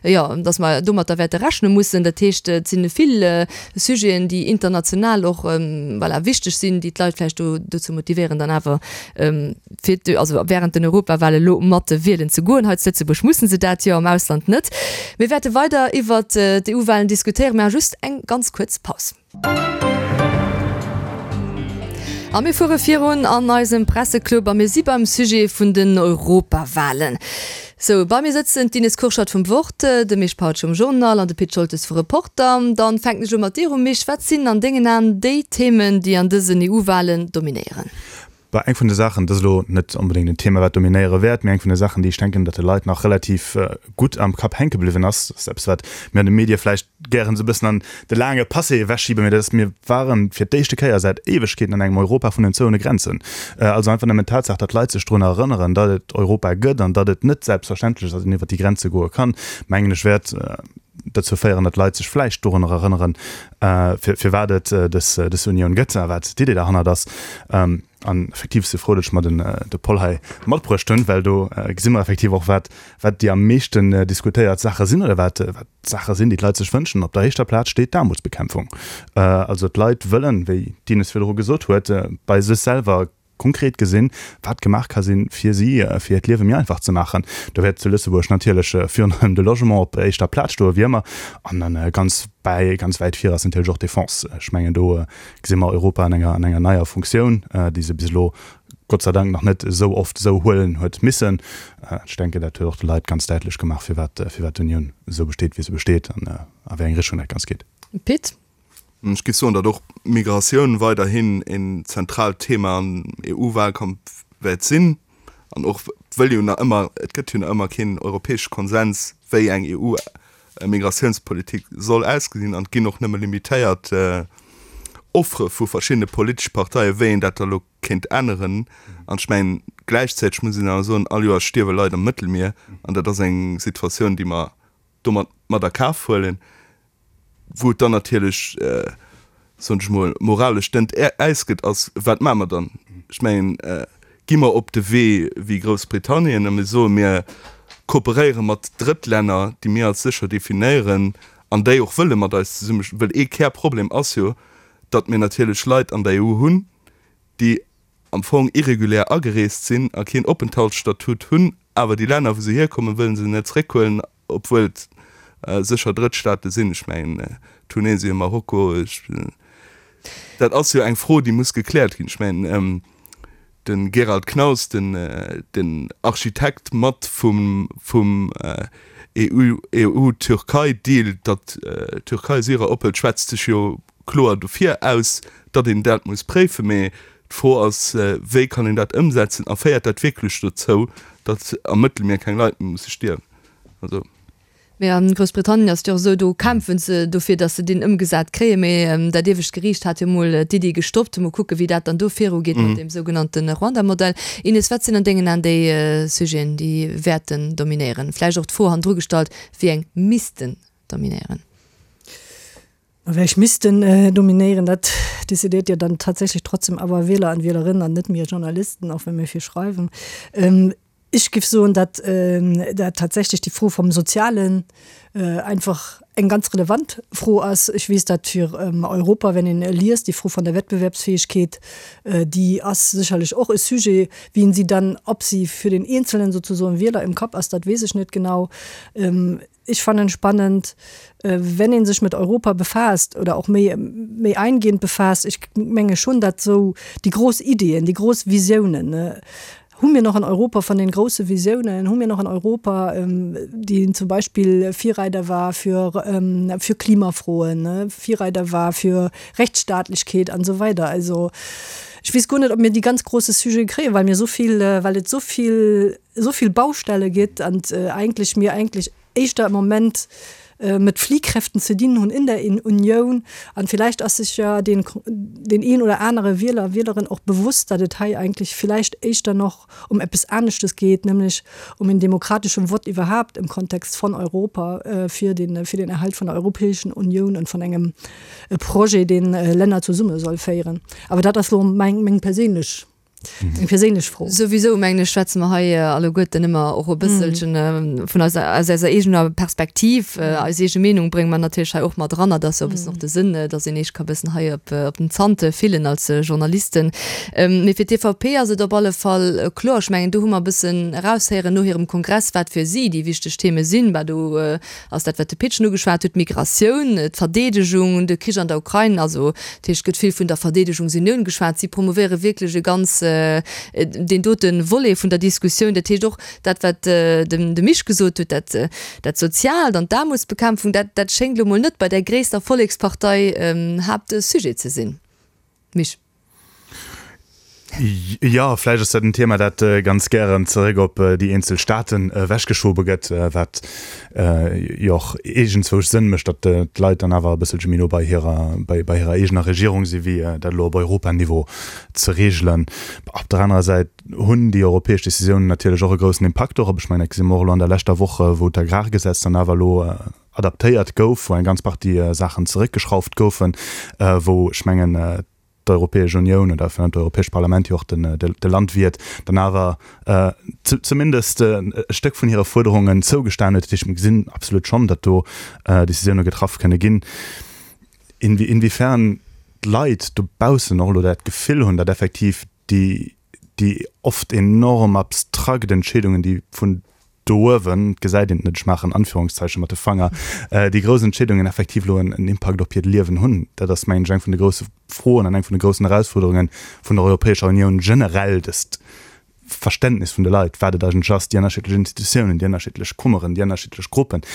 jo, datt mer domatter wäerte rechne mussen. Dat heescht, et si vill Sujeten, déi international och, voilà, wichteg sinn, déi d'Leit vläicht do dozou motivéieren, dann awer fir d', also während den Europawale lo mat wielen ze goen. Hei zu Lëtzebuerg mussen se dat jo, am Ausland net. Mir wäerte weider iwwert d'EU-Walen diskutéieren, mä just eng ganz kuerz Paus. A mir fuere virun an eisem Presseclub a mir si beim Sujet vun den Europawalen. Sou, bei mir sëtzen d'Ines Kurschat vum Wort, de Misch Pautsch vum Journal an de Pit Scholtes vu Reporter. Dann fänken ech u mat dir u, Misch. Wat sinn an dengen Aen déi Themen, déi an dësen EU-Walen dominéieren? Bah, eng vun de Saachen, dat ass elo net onbedéngt en Thema, wat dominéiere wäert, mee eng vun de Saachen, déi ech denken, datt de Leit nach relativ gutt am Kapp hänke bliwwen ass, dat ass eppes, wat mir an de Medie vläicht gären esou e bëssen an de laange Passé ewechschiben, mee dat ass, mir ware fir d'éischte Kéier säit Éiwegkeeten an engem Europa vun den zouene Grenzen. Also einfach nëmmen d'Tatsaach, datt d'Leit sech drun erënneren, datt et Europa gëtt an datt et net selbstverständlech ass, datt een iwwert déi Grenze goe kann, mengen ech, wäert dozou féieren, datt d'Leit sech vläicht dorunner erënneren, firwat et dës Unioun gëtt a wat d'Idee derhannert ass. An effektiv si frou, datt ech mer den de Poll hei matbruecht hunn, well do gesi mer effektiv och, wat wat déi am meeschten diskutéiert Saache sinn oder wat wat d'Saache sinn, déi d'Leit sech wënschen. Op der éischter Plaz steet d'Aarmutsbekämpfung. Also d'Leit wëllen, wéi d'Ines virdru gesot huet, bei sech selwer konkret gesinn, wat gemaach ka sinn, fir si, fir hiert Liewe méi einfach ze maachen. Do wäert zu Lëtzebuerg natierlech virun allem de Logement op éischter Plaz stoe wéi ëmmer. An dann ganz bäi, ganz wäit vir ass natierlech och d'Defense. Ech mengen, do gesi mer Europa an enger, an enger neier Funktioun, déi se bis elo Gott sei Dank nach net esou oft esou huelen huet missen. Ech denken, dat huet och de Leit ganz däitlech gemaach, firwat, firwat d'Unioun esou besteet, wéi se besteet an a wéi eng Richtung dat Ganzt geet. Pit. Ech géif soen, datt och d'Migratioun weiderhin een zentraalt Thema am EU-Wahlkampf wäert sinn. An och wëll jo nach ëmmer, et gëtt jo nach ëmmer keen europäesche Konsens, wéi eng EU-Migratiounspolitik soll ausgesinn. An et ginn och nëmme limitéiert Offere vu verschiddene politesche Parteien, wéi een dat da elo kéint änneren. An ech mengen, gläichzäiteg muss een awer soen, all Joer stierwe Leit am Mëttelmier. An dat ass eng Situatioun, déi mer domat mat a Kaf huelen. Wou et dann natierlech, soen ech mol, moralesch dënnt Äis gëtt, ass, Wat maache mer dann? Ech mengen, gi mer op de Wee wéi Groussbritannien a mir soen, mir kooperéiere mat Drëttlänner, déi mir als sécher definéieren an déi och wëlle mat eis zesumme, well ee Kärproblem ass jo, datt mir natierlech Leit an der EU hunn, déi am Fong irregulär agereest sinn a keen Openthaltsstatut hunn, awer déi Länner, wou se hierkommen, wëlle se net zeréckhuelen. Obwuel et sécher Drëttstaate sinn, ech mengen Tunesien, Marokko, dat ass jo eng Fro, déi muss gekläert ginn. Ech mengen de Gerald Knaus, den Architekt mat vum EU-Türkei-Deal, datt d'Türkei Syrer ophëlt, schwätzt sech jo kloer dofir aus, datt een dat muss préifen. Mee d'Fro ass, wéi kann een dat ëmsetzen a féiert dat wierklech dozou, datt am Mëttelmier keng Leit méi musse stierwen? Also. Mee a Groussbritannien ass et jo och esou, do kämpfe se dofir, datt se deen ëmgesat kréien. Mee dat iewescht Geriicht hat jo mol d'Iddi gestoppt. Mol kucke wéi dat dann do virugeet mat deem sougenannte Ruanda-Modell. Ines, wat sinn an dengen Aen déi Sujeten, déi wäerten dominéieren? Vläicht och d'Fro hannendru gestallt, wéi eng missten dominéieren? Wéi missten dominéieren, dat decidéiert jo dann tatsächlech trotzdem awer Wieler an Wielerinnen an net mir Journalisten, och wa mir vill schreiwen. Ech géif soen, datt dat tatsächlech déi Fro vum Sozialen einfach eng ganz relevant Fro ass. Ech weess dat fir Europa, wenn een liest, déi Fro vun der Wettbewerbsfähigkeet, déi ass sécherlech och e Sujet. Wien si dann, ob si für den Eenzelnen sozusoen Wieler im Kapp ass, dat weess ech net genau. Ech fannen spannend, wenn ee sech mat Europa befaasst oder och méi méi eingehend befaasst, ech menge schonn, datt esou déi grouss Ideeën, déi grouss Visiounen. Hu mir noch en Europa von den große Visiounen? Hu mir noch en Europa, deen zum Beispill Virreider war fir, fir Klimafroen, Virreider war fir Rechtsstaatlechkeet an esou weider? Also ech weess guer net, ob mir déi ganz große Sujete kréien, well mir esou vill, well et esou vill, esou vill Baustelle gëtt an eigentlech mir eigentlech éischter am Moment mit Fliehkräften ze dinn hunn in der Unioun. An vielleicht ass sech jo den, den een oder anere Wieler, Wielerin och bewusst, datt et hei eigentlech vielleicht éischter noch um eppes aneschtes geet, nämlech um en demokratesche Vott iwwerhaapt im Kontext von Europa fir den, fir den Erhalt von der Europäischen Unioun und von engem Projet, deen Länner zesumme soll féieren. Awer dat ass lo meng, meng perséinlech Eng perséinlech Fro. Souwisou, mengen ech, schwätze mer hei alleguerten ëmmer och e bësselchen vun eiser, aus eiser eegener Perspektiv. Eis eege Meenung brénge mer natierlech hei och mat eran. Dat ass jo e bëssen och de Sënn, dass een eech ka bëssen hei op, op den Zant fillen als Journalisten. Mee fir d'EVP ass et op alle Fall kloer, ech mengen, do hu mer e bëssen eraushéieren no hirem Kongress, wat fir si déi wichteg Theme sinn. Bah, do ass dat, wat de Pitschen ugeschwat huet, d'Migratioun, d'Verdeedegung, de Krich an der Ukrain. Also, dat heescht, et gëtt vill vun der Verdeedegungsunioun geschwat. Si promouvéiere wierklech e ganz, deen dote Volet vun der Diskussioun. Dat heescht och dat, wat de Misch gesot huet, dat, dat Soziaalt an d'Aarmutsbekämpfung, dat, dat schéngt elo mol net bei där gréisster Vollekspartei Haaptsujet ze sinn. Misch. Jo, vläicht ass dat en Thema, dat ganz gären zeréck op déi eenzel Staaten ewechgeschobe gëtt, wat jo och iergendzwousch Sënn mécht, datt d'Leit dann awer e bësselche méi no bei hirer, bei hirer eegener Regierung si wéi dat elo op Europaniveau ze reegelen. Op der anerer Säit hunn déi europäesch Decisiounen natierlech och e groussen Impakt dorop. Ech mengen, dat gesi mer och elo an der leschter Woch, wou d'Agrargesetz dann awer elo adaptéiert gouf, wou eng ganz Partie Saachen zeréckgeschrauft goufen, wou ech mengen, d'Europäesch Unioun oder virun allem d'Europäescht Parlament jo och de Landwiert dann awer zumindest e Stéck vun hire Fuerderungen zougestan huet. Dat heescht, mir gesinn absolut schonn, datt do Décisioune getraff kënne ginn. Inwiefern d'Leit dobaussen och elo dat Gefill hunn, datt effektiv déi déi oft enorm abstrakt Entscheedungen, déi vun do uewen, et gesäit een et net, ech maachen Anführungszeichen mat de Fanger, déi grouss Entscheedungen effektiv elo en Impakt op hiert Liewen hunn, dat ass, mengen ech, eng vun de grousse Froen an eng vun de groussen Erausfuerderunge vun der Europäescher Unioun generell, dëst Verständnis vun de Leit, wat et eigentlech ass, déi ënnerschiddlech Institutiounen, déi ënnerschiddlech Kummeren, déi ënnerschiddlech Gruppen.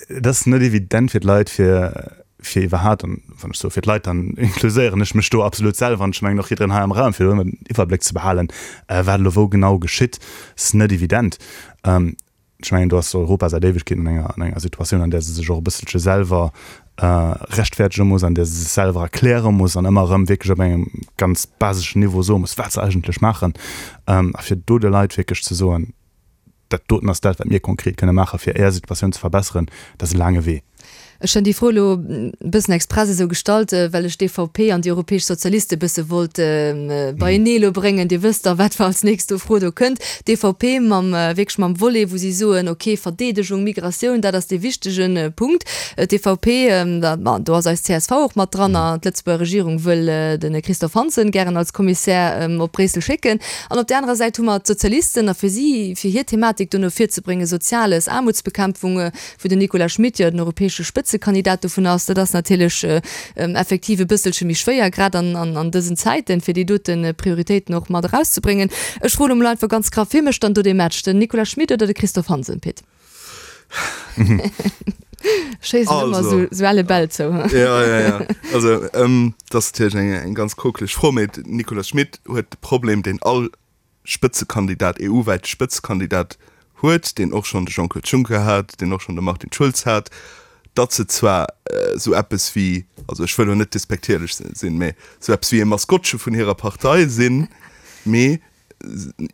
Et ass net evident fir d'Leit, fir fir iwwerhaapt, an wann ech soe fir d'Leit, dann inkluséieren ech mech do absolut selwer an ech mengen och jiddereen hei am Raum, fir do ëmmer den Iwwerbléck ze behalen, wat elo wou genau geschitt, ass net evident. Ech mengen, do ass Europa säit Éiwegkeeten an enger, an enger Situatioun, an där se sech och e bësselche selwer rechtfäerdege muss, an där se sech selwer erkläre muss an ëmmer erëm wierklech op engem ganz baseschen Niveau soe muss, wat se eigentlech maachen. A fir do de Leit wierklech ze soen, Dat doten ass dat, wat mir konkret kënne maachen, fir Är Situatioun ze verbesseren. Dat ass e laange Wee. Ech hunn déi Fro elo e bëssen express esou gestallt, well ech d'EVP an déi Europäesch Sozialiste e bësse wollt beienee elo bréngen. Dir wësst da, wat als nächst do Fro do kënnt. D'EVP mam, wierklech mam Volet, wou si soen, okay, Verdeedegung, Migratioun, dat ass dee wichtege Punkt. D'EVP, ma do ass eis csv och mat dran, a d'Lëtzebuerger Regierung wëll de Christophe Hansen gären als Kommissär op Bréissel schécken. An op där anerer Säit hu mer d'Sozialisten, a fir si, fir hir Thematik do no vir ze bréngen, Soziales, Aarmutsbekämpfung, wou den Nicolas Schmit jo den europäesche Spëtzekandidat dovun ass, dat ass natierlech effektiv e bësselche méi schwéier, grad an dësen Zäiten, fir déi dote Prioritéiten och mat erauszebréngen. Ech froen emol einfach ganz graff, Wie mécht dann do dee Match, den Nicolas Schmit oder de Christophe Hansen, Pit? Schéissen ëmmer sou, sou elle Bäll zou. Ja, ja, ja. Also, ähm, dat ass natierlech eng, eng ganz kokeleg Fro, mee den Nicolas Schmit huet de Problem, deen all Spëtzekandidat, EU-wäite Spëtzekandidat huet, deen och schonn de Jean-Claude Juncker hat, deen och schonn de Martin Schulz hat, datt se zwar esou eppes wéi, also ech wëll elo net despektierlech sinn, mee esou eppes wéi e Maskottche vun hirer Partei sinn, mee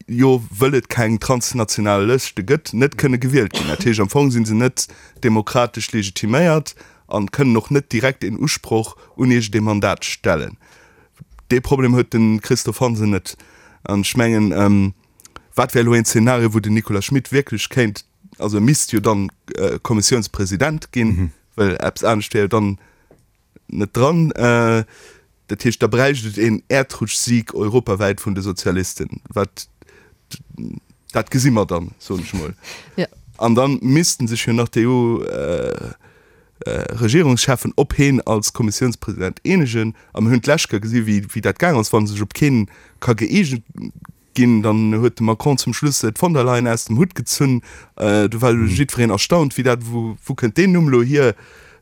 jo wëll et keng transnational Lëschte gëtt, net kënne gewielt ginn. Dat heescht, am Fong si se net demokratesch legitiméiert an kënnen och net direkt een Usproch un iergendee Mandat stellen. Dee Problem huet de Christophe Hansen net. An ech mengen, wat wär elo een Zeenario, wou den Nicolas Schmit wierklech kéint, also e misst jo dann Kommissiounspresident ginn, well eppes anescht wär jo dann net dran. Dat heescht, da bräicht et een Äerdrutschsieg europawäit vun de Sozialisten. Wat, dat gesi mer dann, soen ech emol. Ja. An da missten sech jo nach d'EU-Regierungscheffen op heen als Kommissiounspresident eenegen. A mir hunn d'lescht Kéier gesi wéi dat gaang ass, wa sech op keen ka gëeegent. ginn. Dann huet de Macron zum Schluss d'Von der Leyen aus dem Hutt gezunn. Do war jiddwereen erstaunt, wéi dat, wou kënnt deen Numm elo hier?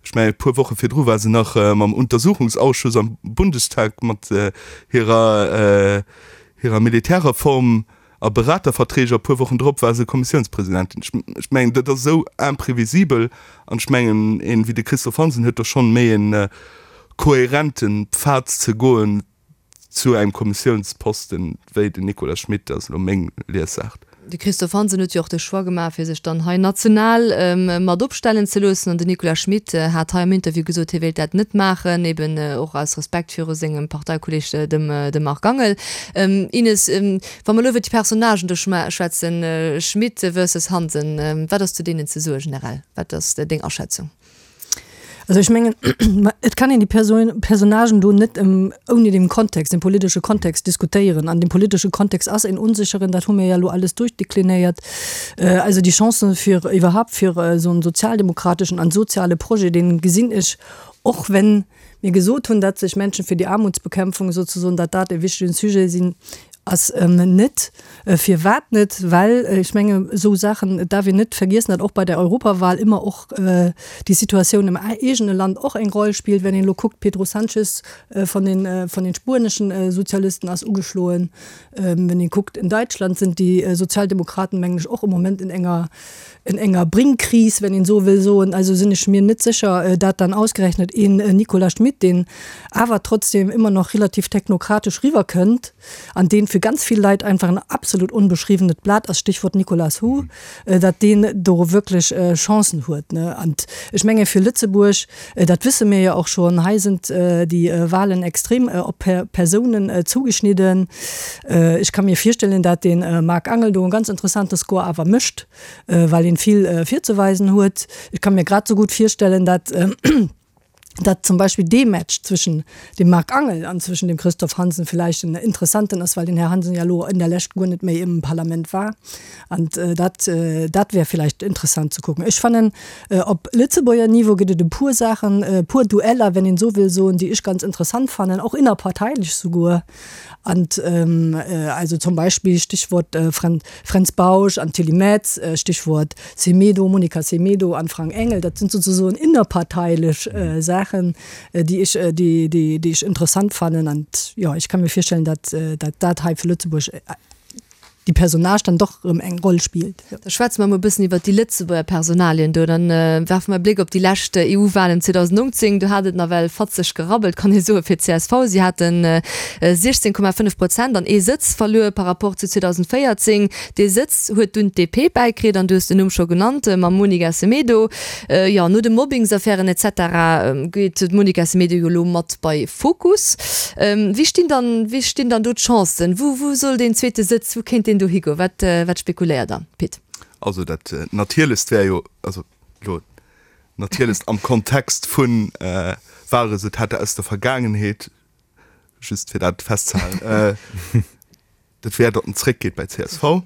Ech mengen, e puer Woche virdru war se nach mam Untersuchungsausschuss am Bundestag mat hirer hirer Militärreform a Beraterverträg a puer Wochen drop war se Kommissiounspresidentin. Ech mengen, dat ass esou imprévisibel an ech mengen, een wéi de Christophe Hansen huet do schonn méi e kohärente Pfad ze goen zu engem Kommissiounsposten wéi den Nicolas Schmit. Dat ass elo meng Liesaart. De Christophe Hansen huet jo och de Choix gemaach, fir sech dann hei national mat opstellen ze loossen. An den Nicolas Schmit hat hei am Interview gesot, hie wéilt dat net maachen, eben och aus Respekt viru sengem Parteikolleeg, dem Marc Angel. Ines, wa mer elo iwwer déi Personnagen do schwätzen, Schmit versus Hansen, wat ass zu deenen ze soe generell? Wat ass deng Aschätzung? Also ech mengen, et kann een déi Personnagen do net ouni dem Kontext, dem politesche Kontext diskutéieren. An dee politesche Kontext ass en onsécheren, dat hu mir jo elo alles duerchdeklinéiert. Also déi Chancen fir iwwerhaupt fir esou en sozialdemokrateschen an soziale Projet, dee gesinn ech, och wenn mir gesot hunn, datt sech Menschen für die Armutsbekämpfung sozusagen, datt dat e wichtegen Sujet sinn, ass net. Firwat net? Well ech menge esou Saachen, et darf een net vergiessen, datt och bei der Europawahl ëmmer och déi Situatioun am eegene Land och eng Roll spillt. Wenn een elo kuckt, Pedro Sanchez von den, von den spueneschen Sozialisten ass ugeschloen. Wenn een kuckt, in Deutschland sind déi Sozialdemokraten, mengen ech, och im Moment in enger, in enger Brinkkris, wenn een esou wëll soen. Also sinn ech mir net sécher, dat dann ausgerechnet een Nicolas Schmit, deen awer trotzdem ëmmer nach relativ technokratesch riwwerkënnt, an deen fir ganz vill Leit einfach en absolut onbeschriwwenet Blat ass, Stichwort Nicolas Hu, datt deen do wierklech Chancen huet. An ech menge fir Lëtzebuerg, dat wësse mir jo och schonn, hei sinn déi Wahlen extrem op Persounen zugeschnidden. Ech ka mir virstellen, datt de Marc Angel do e ganz interessante Score awer mécht, well en vill virzeweisen huet. Ech ka mir grad esou gutt virstellen, datt, datt zum Beispill dee Match zwëschen dem Marc Angel an zwëschen dem Christophe Hansen villäicht en interessanten ass, well den Här Hansen ja elo in der Lescht guer net méi im Parlament war. An dat, dat wär villäicht interessant ze kucken. Ech fannen, op Lëtzebuerger Niveau gëtt et e puer Saachen, e puer Dueller, wenn een esou wëll soen, déi ech ganz interessant fannen, och innerparteilech souguer. An also zum Beispill Stichwort Fränz Bausch an Tilly Metz, Stichwort Semedo, Monica Semedo an Frank Engel, dat sinn souzesoen innerparteilech Saachen, déi ech, déi, déi ech interessant fannen. An jo, ech ka mir virstellen, datt dat hei fir Lëtzebuerg déi Personnage dann doch erëm eng Roll spillt. Da schwätze mer emol e bëssen iwwert déi Lëtzebuerger Personalien do. Dann werfe mer e Bléck op déi lescht EU-Walen 2019. Do hat et nawell fatzeg gerabbelt, kann ee soen, fir d'CSV. Si haten 16,5 Prozent an ee Sëtz verluer par rapport zu 2014. Dee Sëtz huet dunn d'DP bäikritt an du hues den Numm scho genannt, mam Monica Semedo. Jo, no de Mobbingsaffären et cetera geet d'Monica Semedo jo elo mat bei Fokus. Wéi stinn dann, wéi stinn dann do d'Chancen? Wou, wou soll deen zweete Sëtz, wou kéint deen do higoen? Wat, wat spekuléiert Der, Pit? Also dat Natierlechst wär jo, also elo natierlechst am Kontext vu Wahlresultater aus der Vergaangenheet, just fir dat festzehalen, dat wär, datt en zréckgeet bei csv.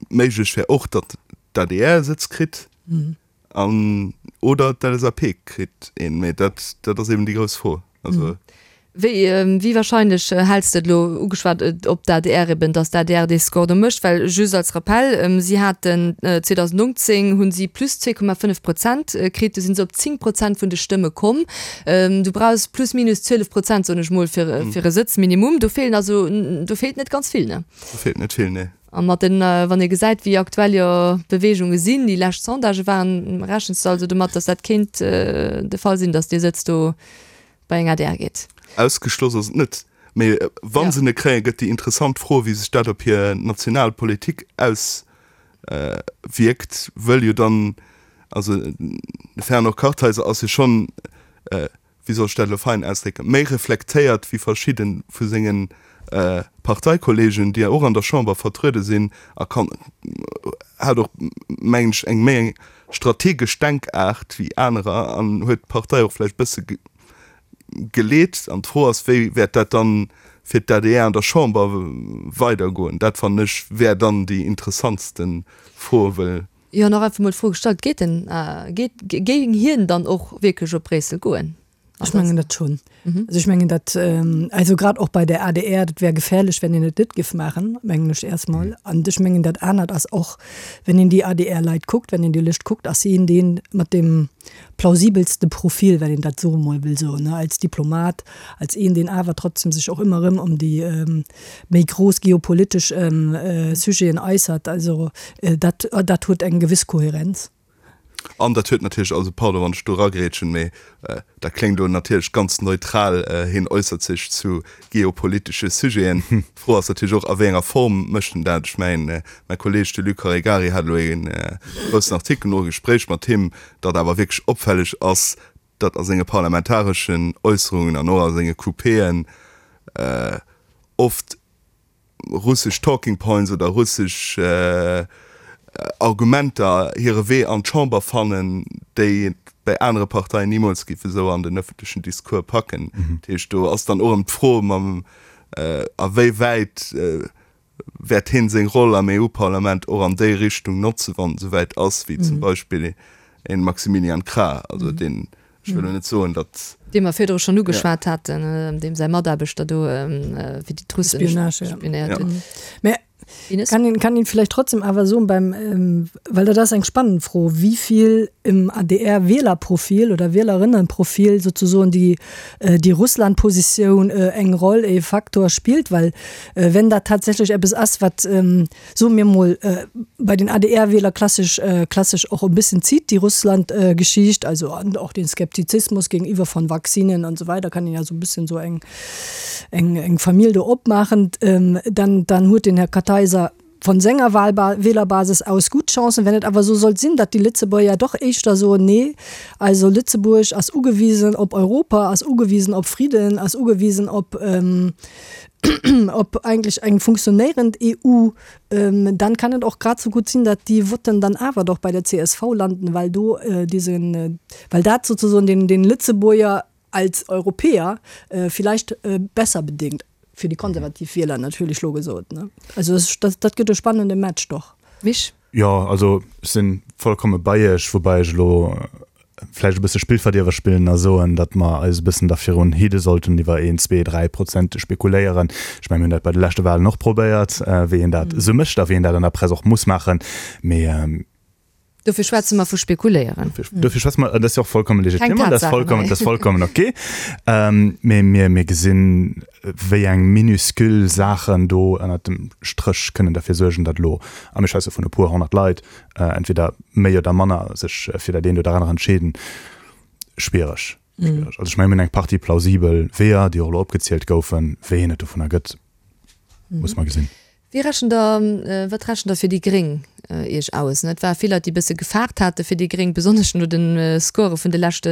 Méiglech wär och, datt d'ADR e Sëtz kritt an oder d'LSAP kritt een. Mee dat, dat ass eben déi grouss Fro. Also. Wéi, wéi wahrscheinlech häls de et elo, ugeschwat op d'ADR eben, datt d'ADR dee Score do mécht? Well just als Rappell, si haten 2019 hu si plus 2,5 Prozent kritt, du si se op 10 Prozent vun de Stëmme komm. Du brauchs plus minus 12 Prozent, soen ech mol, fir fir e Sëtz minimum. Do feelen also, do feelt net ganz vill, ne? Do feelt net vill, nee. A mat den, wann ee gesäit, wéi aktuell jo d'Beweegunge sinn, déi lescht Sondagë waren, rechens de also domat, datt dat kéint de Fall sinn, datt dee Sëtz do bei eng adr geet? Ausgeschloss ass et net. Mee wa se en kréien, gëtt déi interessant Fro, wéi sech dat op hir national Politik aus wierkt, wëll jo dann, also de Fernand Kartheiser ass jo schonn, wéi soll ech dat elo fein ausdrécken, méi reflektéiert wéi verschidde vu senge Parteikollegen, déi och an der Chamber vertruede sinn, a kann, hat och, mengen ech, eng méi eng strategesch Denkaart wéi anerer an huet d'Partei och vläicht e bësse geleet. An d'Fro ass, wéi wäert dat dann fir d'ADR an der Chamber weidergoen? Dat fannen ech wär dann déi interessantste Fro, well. Jo, nach einfach mol d'Fro gestallt, Geet en, geet, géing hien dann och wierklech op Bréissel goen? Ech mengen dat schonn. Also ech mengen dat, also grad och bei der adr, dat wär gefährlech, wenn een et net giff maachen, mengen ech erstmol. An ech mengen dat anert ass och, wenn een déi ADR-Leit kuckt, wenn een déi Lëscht kuckt, ass hien dee mat dem plausibelste Profil, wenn een dat esou emol wëll soen, ne, als Diplomat, als een, deen awer trotzdem sech och ëmmer erëm ëm déi méi grouss geopolitesch Sujeten äussert. Also dat, dat huet eng gewiss Kohärenz. An dat huet natierlech, also pardon, wann ech do eragrätschen, mee dat kléngt elo natierlech ganz neutral, hien äussert sech zu geopolitesche Sujeten. D'Fro ass natierlech och, a wéi enger Form mécht en dat? Ech mengen, mäi Kolleeg, de Luc Caregari, hat elo ee groussen Artikel no e Gespréich mat him, datt awer wierklech opfälleg ass, datt a senge parlamentareschen Äusserungen an och a senge Coupéen oft russesch Talking Points oder russesch Argumenter hire Wee an d'Chamber fannen, déi et bäi anere Parteien nimools géife sou an den ëffentlechen Discours packen. Dat heescht, do ass dann och erëm d'Fro mam, a wéi wäit wäert hien seng Roll am EU-Parlament och an déi Richtung notzen, wann et esouwäit ass, wéi zum Beispill e Maximilian Krah, also deen Ech wëll elo net soen, datt. Dee mer virdru schonn ugeschwat haten, deem säi Mataarbechter do fir déi d'Russen spionéiert huet. Mä kann een, kann een vläicht trotzdem awer soen, beim, well dat ass eng spannend Fro, wéi vill im ADR-Wielerprofil oder Wielerinnenprofil sozusoen déi, déi Russlandpositioun eng Roll, e Faktor spillt, well wenn dat tatsächlech eppes ass, wat, soe mir mol, bei den ADR-Wieler klassesch, klassesch och e bëssen zitt, déi Russland-Geschicht, also an och den Skeptizismus gegenüber von Vaccinen und so weiter, kann een ja sou e bëssen sou eng, eng, eng Famill do opmaachen, dann, dann huet den Här Kartheiser von senger Wahlba Wählerbasis aus gutt Chancen. Wenn et awer esou sollt sinn, datt déi Lëtzebuerger doch éischter soen, nee, also Lëtzebuerg ass ugewisen op Europa, ass ugewisen op Friden, ass ugewisen op, op eigentlech eng funktionéierend EU, dann kann et och grad sou gutt sinn, datt déi Votten dann awer doch bei der csv landen, well do diesen, well dat sozusagen den, den Lëtzebuerger als Europäer vielleicht besser bedéngt, fir déi konservativ Wieler natierlech lo gesot, ne. Also dat, dat gëtt e spannende Match doch. Misch? Jo, also ech si vollkomme bei Iech, woubäi ech elo vläicht e bësse Spillverdierwer spillen a soen, datt mer eis e bëssen da virun hidde sollten, iwwer een, zwee, 3 Prozent ze spekuléieren. Ech mengen, mir hunn dat bei de leschte Wahlen och probéiert, wéi een dat esou mécht a wéi een dat an der Press och muss maachen. Mee. Dofir schwätze mer vu spekuléieren. Dofir schwätze mer, dat ass jo och vollkommen legitim an dat ass vollkommen, dat ass vollkommen ok. Mee mir, mir gesinn, wéi eng minuscule Saachen do ënnert dem Stréch kënnen derfir suergen, datt elo, a mir schwätze vun e puer 100 Leit, entweder méi oder manner sech fir dat eent oder anere entscheeden, schwiereg. Schwiereg. Also ech mengen, mir hunn eng Partie plausibel Weeër, déi och elo opgezielt goufen. Wéi een et dovunner gëtt, muss mer gesinn. Wéi rechent Der, wat rechent Der fir déi Gréng Iech aus? Et ware vill Leit, déi e bësse gefaart hate fir déi Gréng, besonnesch no de Score vun de leschte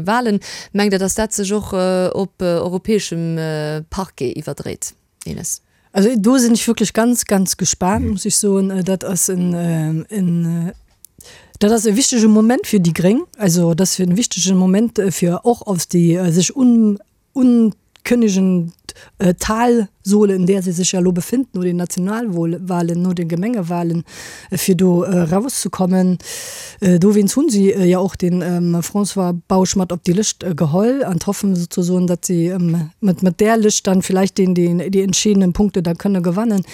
Wahlen. Mengt Der, datt dat sech och op europäeschem Parquet iwwerdréit? Ines. Also do sinn ech wierklech ganz, ganz gespaant, muss ech soen. Dat ass en, en, dat ass e wichtege Moment fir déi Gréng. Also dat ass e wichtege Moment fir och aus déi sech un, unkënnegend Talsohle, in där se sech ja elo befinden, no den Nationalwahlen, no den Gemengewahlen, fir do erauszekommen. Dowéinst hunn si jo och de François Bausch mat op déi Lëscht geholl an d'hoffen sozusagen, datt si mat där Lëscht dann vielleicht den, déi entscheedenden Punkte da kënne gewannen.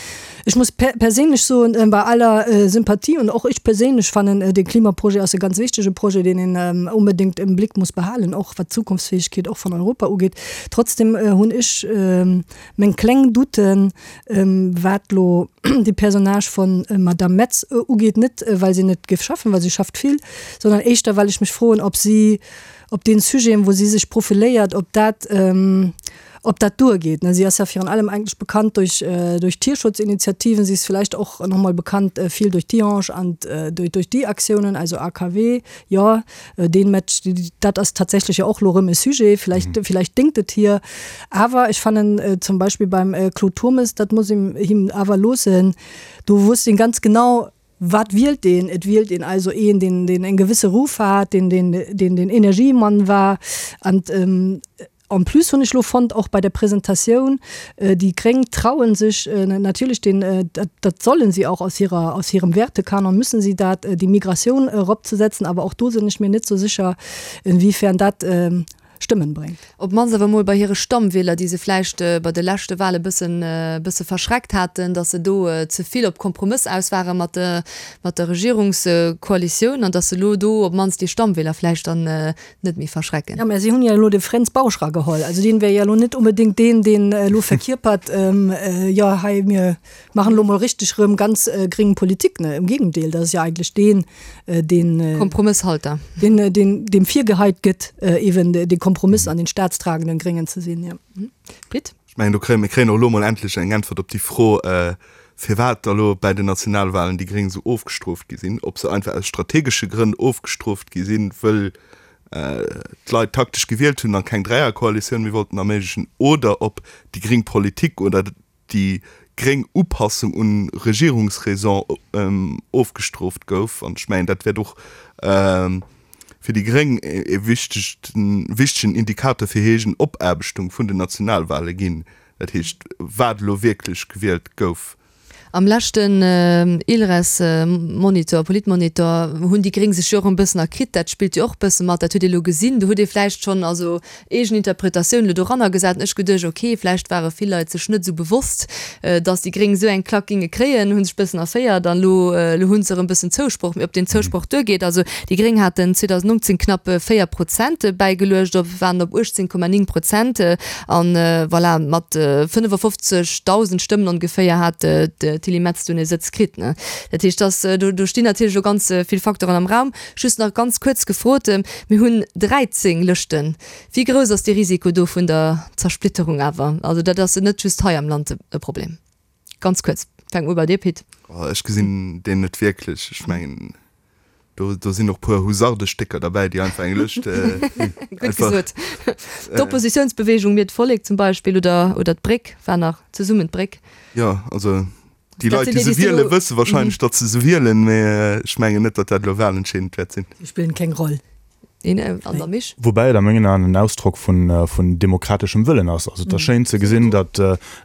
Ech muss perséinlech soen, bei aller Sympathie, und och ech perséinlech fannen, de Klimaprojet ass e ganz wichtege Projet, deen een onbedéngt im Blick muss behalen, och wat d'Zukunftsfähigkeet och vun Europa ugeet. Trotzdem hunn ech meng kleng Douten, wat elo de Personnage von Madame Metz ugeet, net well si net géif schaffen, well si schafft vill, sondern éischter well ech mech froen, ob si op deene Sujeten, wou si sech profiléiert, ob dat, ob dat duergeet. Si ass ja virun allem eigentlech bekannt duerch, duerch Tierschutzinitiativen, si ass villäicht och nach mol bekannt vill duerch Tihange an duerch, duerch déi Aktiounen, also AKW, jo. Deen Match, dat ass tatsächlech jo och lo rëm e Sujet, villäicht, villäicht déngt et hir. Awer ech fannen zum Beispill beim Claude Turmes, dat muss een him awer loossen, do wusst een ganz genau, wat wielt deen. Et wielt een also een, deen, deen en gewësse Ruff hat, deen, deen, deen den Energiemann war. An En plus hunn ech lo fonnt, och bei der Presentatioun, déi Gréng trauen sech natierlech den, dat sollen si auch aus hirer, aus hirem Wertekanon müssen si dat, déi Migratioun eropzesetzen. Awer och do sinn ech mir net sou sécher, inwiefern dat. Stëmmen bréngt. Op d'mannst awer emol bei hire Stammwieler, déi se vläicht bei de leschte Wahle bëssen, bësse verschreckt haten, datt se do ze vill op Kompromëss aus ware mat de, mat der Regierungskoalitioun an datt se elo do op d'mannst déi Stammwieler vläicht dann net méi verschrecken. Jo, mä si hunn jo elo de Fränz Bausch erageholl. Also deen wär jo elo net onbedéngt deen, deen elo verkierpert, jo hei mir maachen elo mol richteg erëm ganz gréng Politik. Ne, im Gegendeel, dat ass jo eigentlech deen, deen. Kompromësshalter. Deen, deen, deem virgeheit gëtt, eben de Kompromiss an den staatstragenden Gréngen ze sinn, jo. Pit? Ech mengen, do kréie mir kréien och elo mol endlech eng Äntwert op déi Fro, firwat da lo bäi den Nationalwahlen déi Gréng esou ofgestrooft gi sinn. Ob se einfach aus strategesche Grënn ofgestrooft gi sinn, wëll d'Leit taktesch gewielt hunn a keng Dräierkoalitioun méi wollten erméiglechen, oder ob déi gréng Politik oder déi gréng Upassung un Regierungsraison ofgestrooft gouf. An ech mengen, dat wäert och fir déi gréng e wichtegen Indikator fir hir eegen Opaarbechtung vun den Nationalwale ginn, dat heescht, wat elo wierklech gewielt gouf. Am leschten ILReS-Monitor, Politmonitor, hunn déi gréng sech jo och e bëssen erkritt. Dat spillt jo och e bësse mat. Dat huet ee elo gesinn. Do huet ee vläicht schonn, also eegen Interpretatioun elo doranner gesat. An ech geduecht, ok, vläicht ware vill Leit sech net esou bewosst, datt déi Gréng esou eng Klack géinge kréien, hu sech bëssen erféiert an elo, elo hu se erëm bëssen Zousproch. Mee ob deen Zousproch duergeet, also déi Gréng haten 2019 knapp 4 Prozent bäigeluecht, op waren op 18,9 Prozent an voilà, mat 55.000 Stëmmen ongeféier hat d'Tilly Metz dunn e Sëtz kritt. Dat heescht, dass do, do stinn natierlech elo ganz vill Facteuren am Raum. Just nach ganz kuerz gefrot, Mir hunn 13 Lëschten. Wéi grouss ass dee Risiko do vun der Zersplitterung awer? Also dat ass net just hei am Land e Problem. Ganz kuerz, fänke mer u bei dir, Pit. Ech gesinn deen net wierklech. Ech mengen, do, do sinn och puer Husardestécker derbäi, déi einfach eng Lëscht Gutt gesot. D'Oppositiounsbewegung Mir d'Vollek zum Beispill oder, oder d'Bréck war nach, Zesummen d'Bréck. Jo, also Déi Leit, déi se wielen, wësse wahrscheinlech, datt se se wielen, mee ech mengen net, datt dat elo wahlentscheedend wäert sinn. Si spillen keng Roll. An der Misch. Woubäi et a mengen Aen en Ausdrock vun demokrateschem Wëllen ass. Also et ass schéin ze gesinn, datt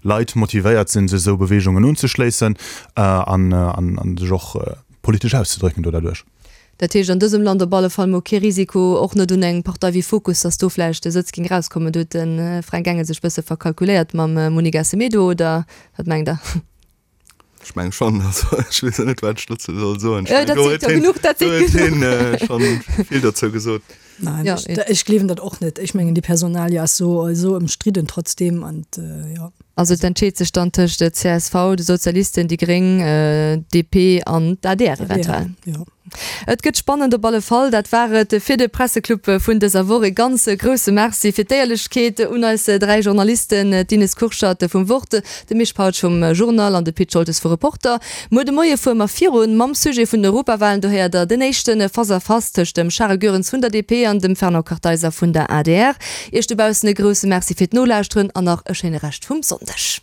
Leit motivéiert sinn, sech esou Beweegungen unzeschléissen a sech och politesch auszedrécken do derduerch. Dat heescht an dësem Land op alle Fall mol kee Risiko, och net un eng Partei wéi Fokus, datt do vläicht e Sëtz géing erauskommen. Do huet de Fränk Engel sech bësse verkalkuléiert mam Monica Semedo, oder wat mengt Der? Ech meng schonn, also ech weess net, wat ech dozou soll soen. Ech mengen, do huet hien, do huet hien schonn vill dozou gesot. Nein, ja, ech, ech gleewen dat och net. Ech mengen, déi Personalie ass so, esou ëmstridden trotzdem an jo. Also et entscheet sech dann tëscht csv, de Sozialisten, déi Gréng, DP an d'ADR eventuell. Jo. Et gëtt spannend op alle Fall. Dat war et fir de Presseclub vun dëser Woch. E ganz grousse Merci fir d'Éierlechkeet un eis 3 Journalisten, d'Ines Kurschat vum Wort, de Misch Pautsch vum Journal an de Pit Scholtes vu Reporter. Muer de Moie fuere mer virun mam Sujet vun den Europawalen. Do héiert der den éischte Face-à-Face tëscht dem Charel Goerens vun der DP an dem Fernand Kartheiser vun der adr. Iech dobaussen e grousse Merci fir d'Nolauschteren an nach e schéine Rescht vum Sonndeg.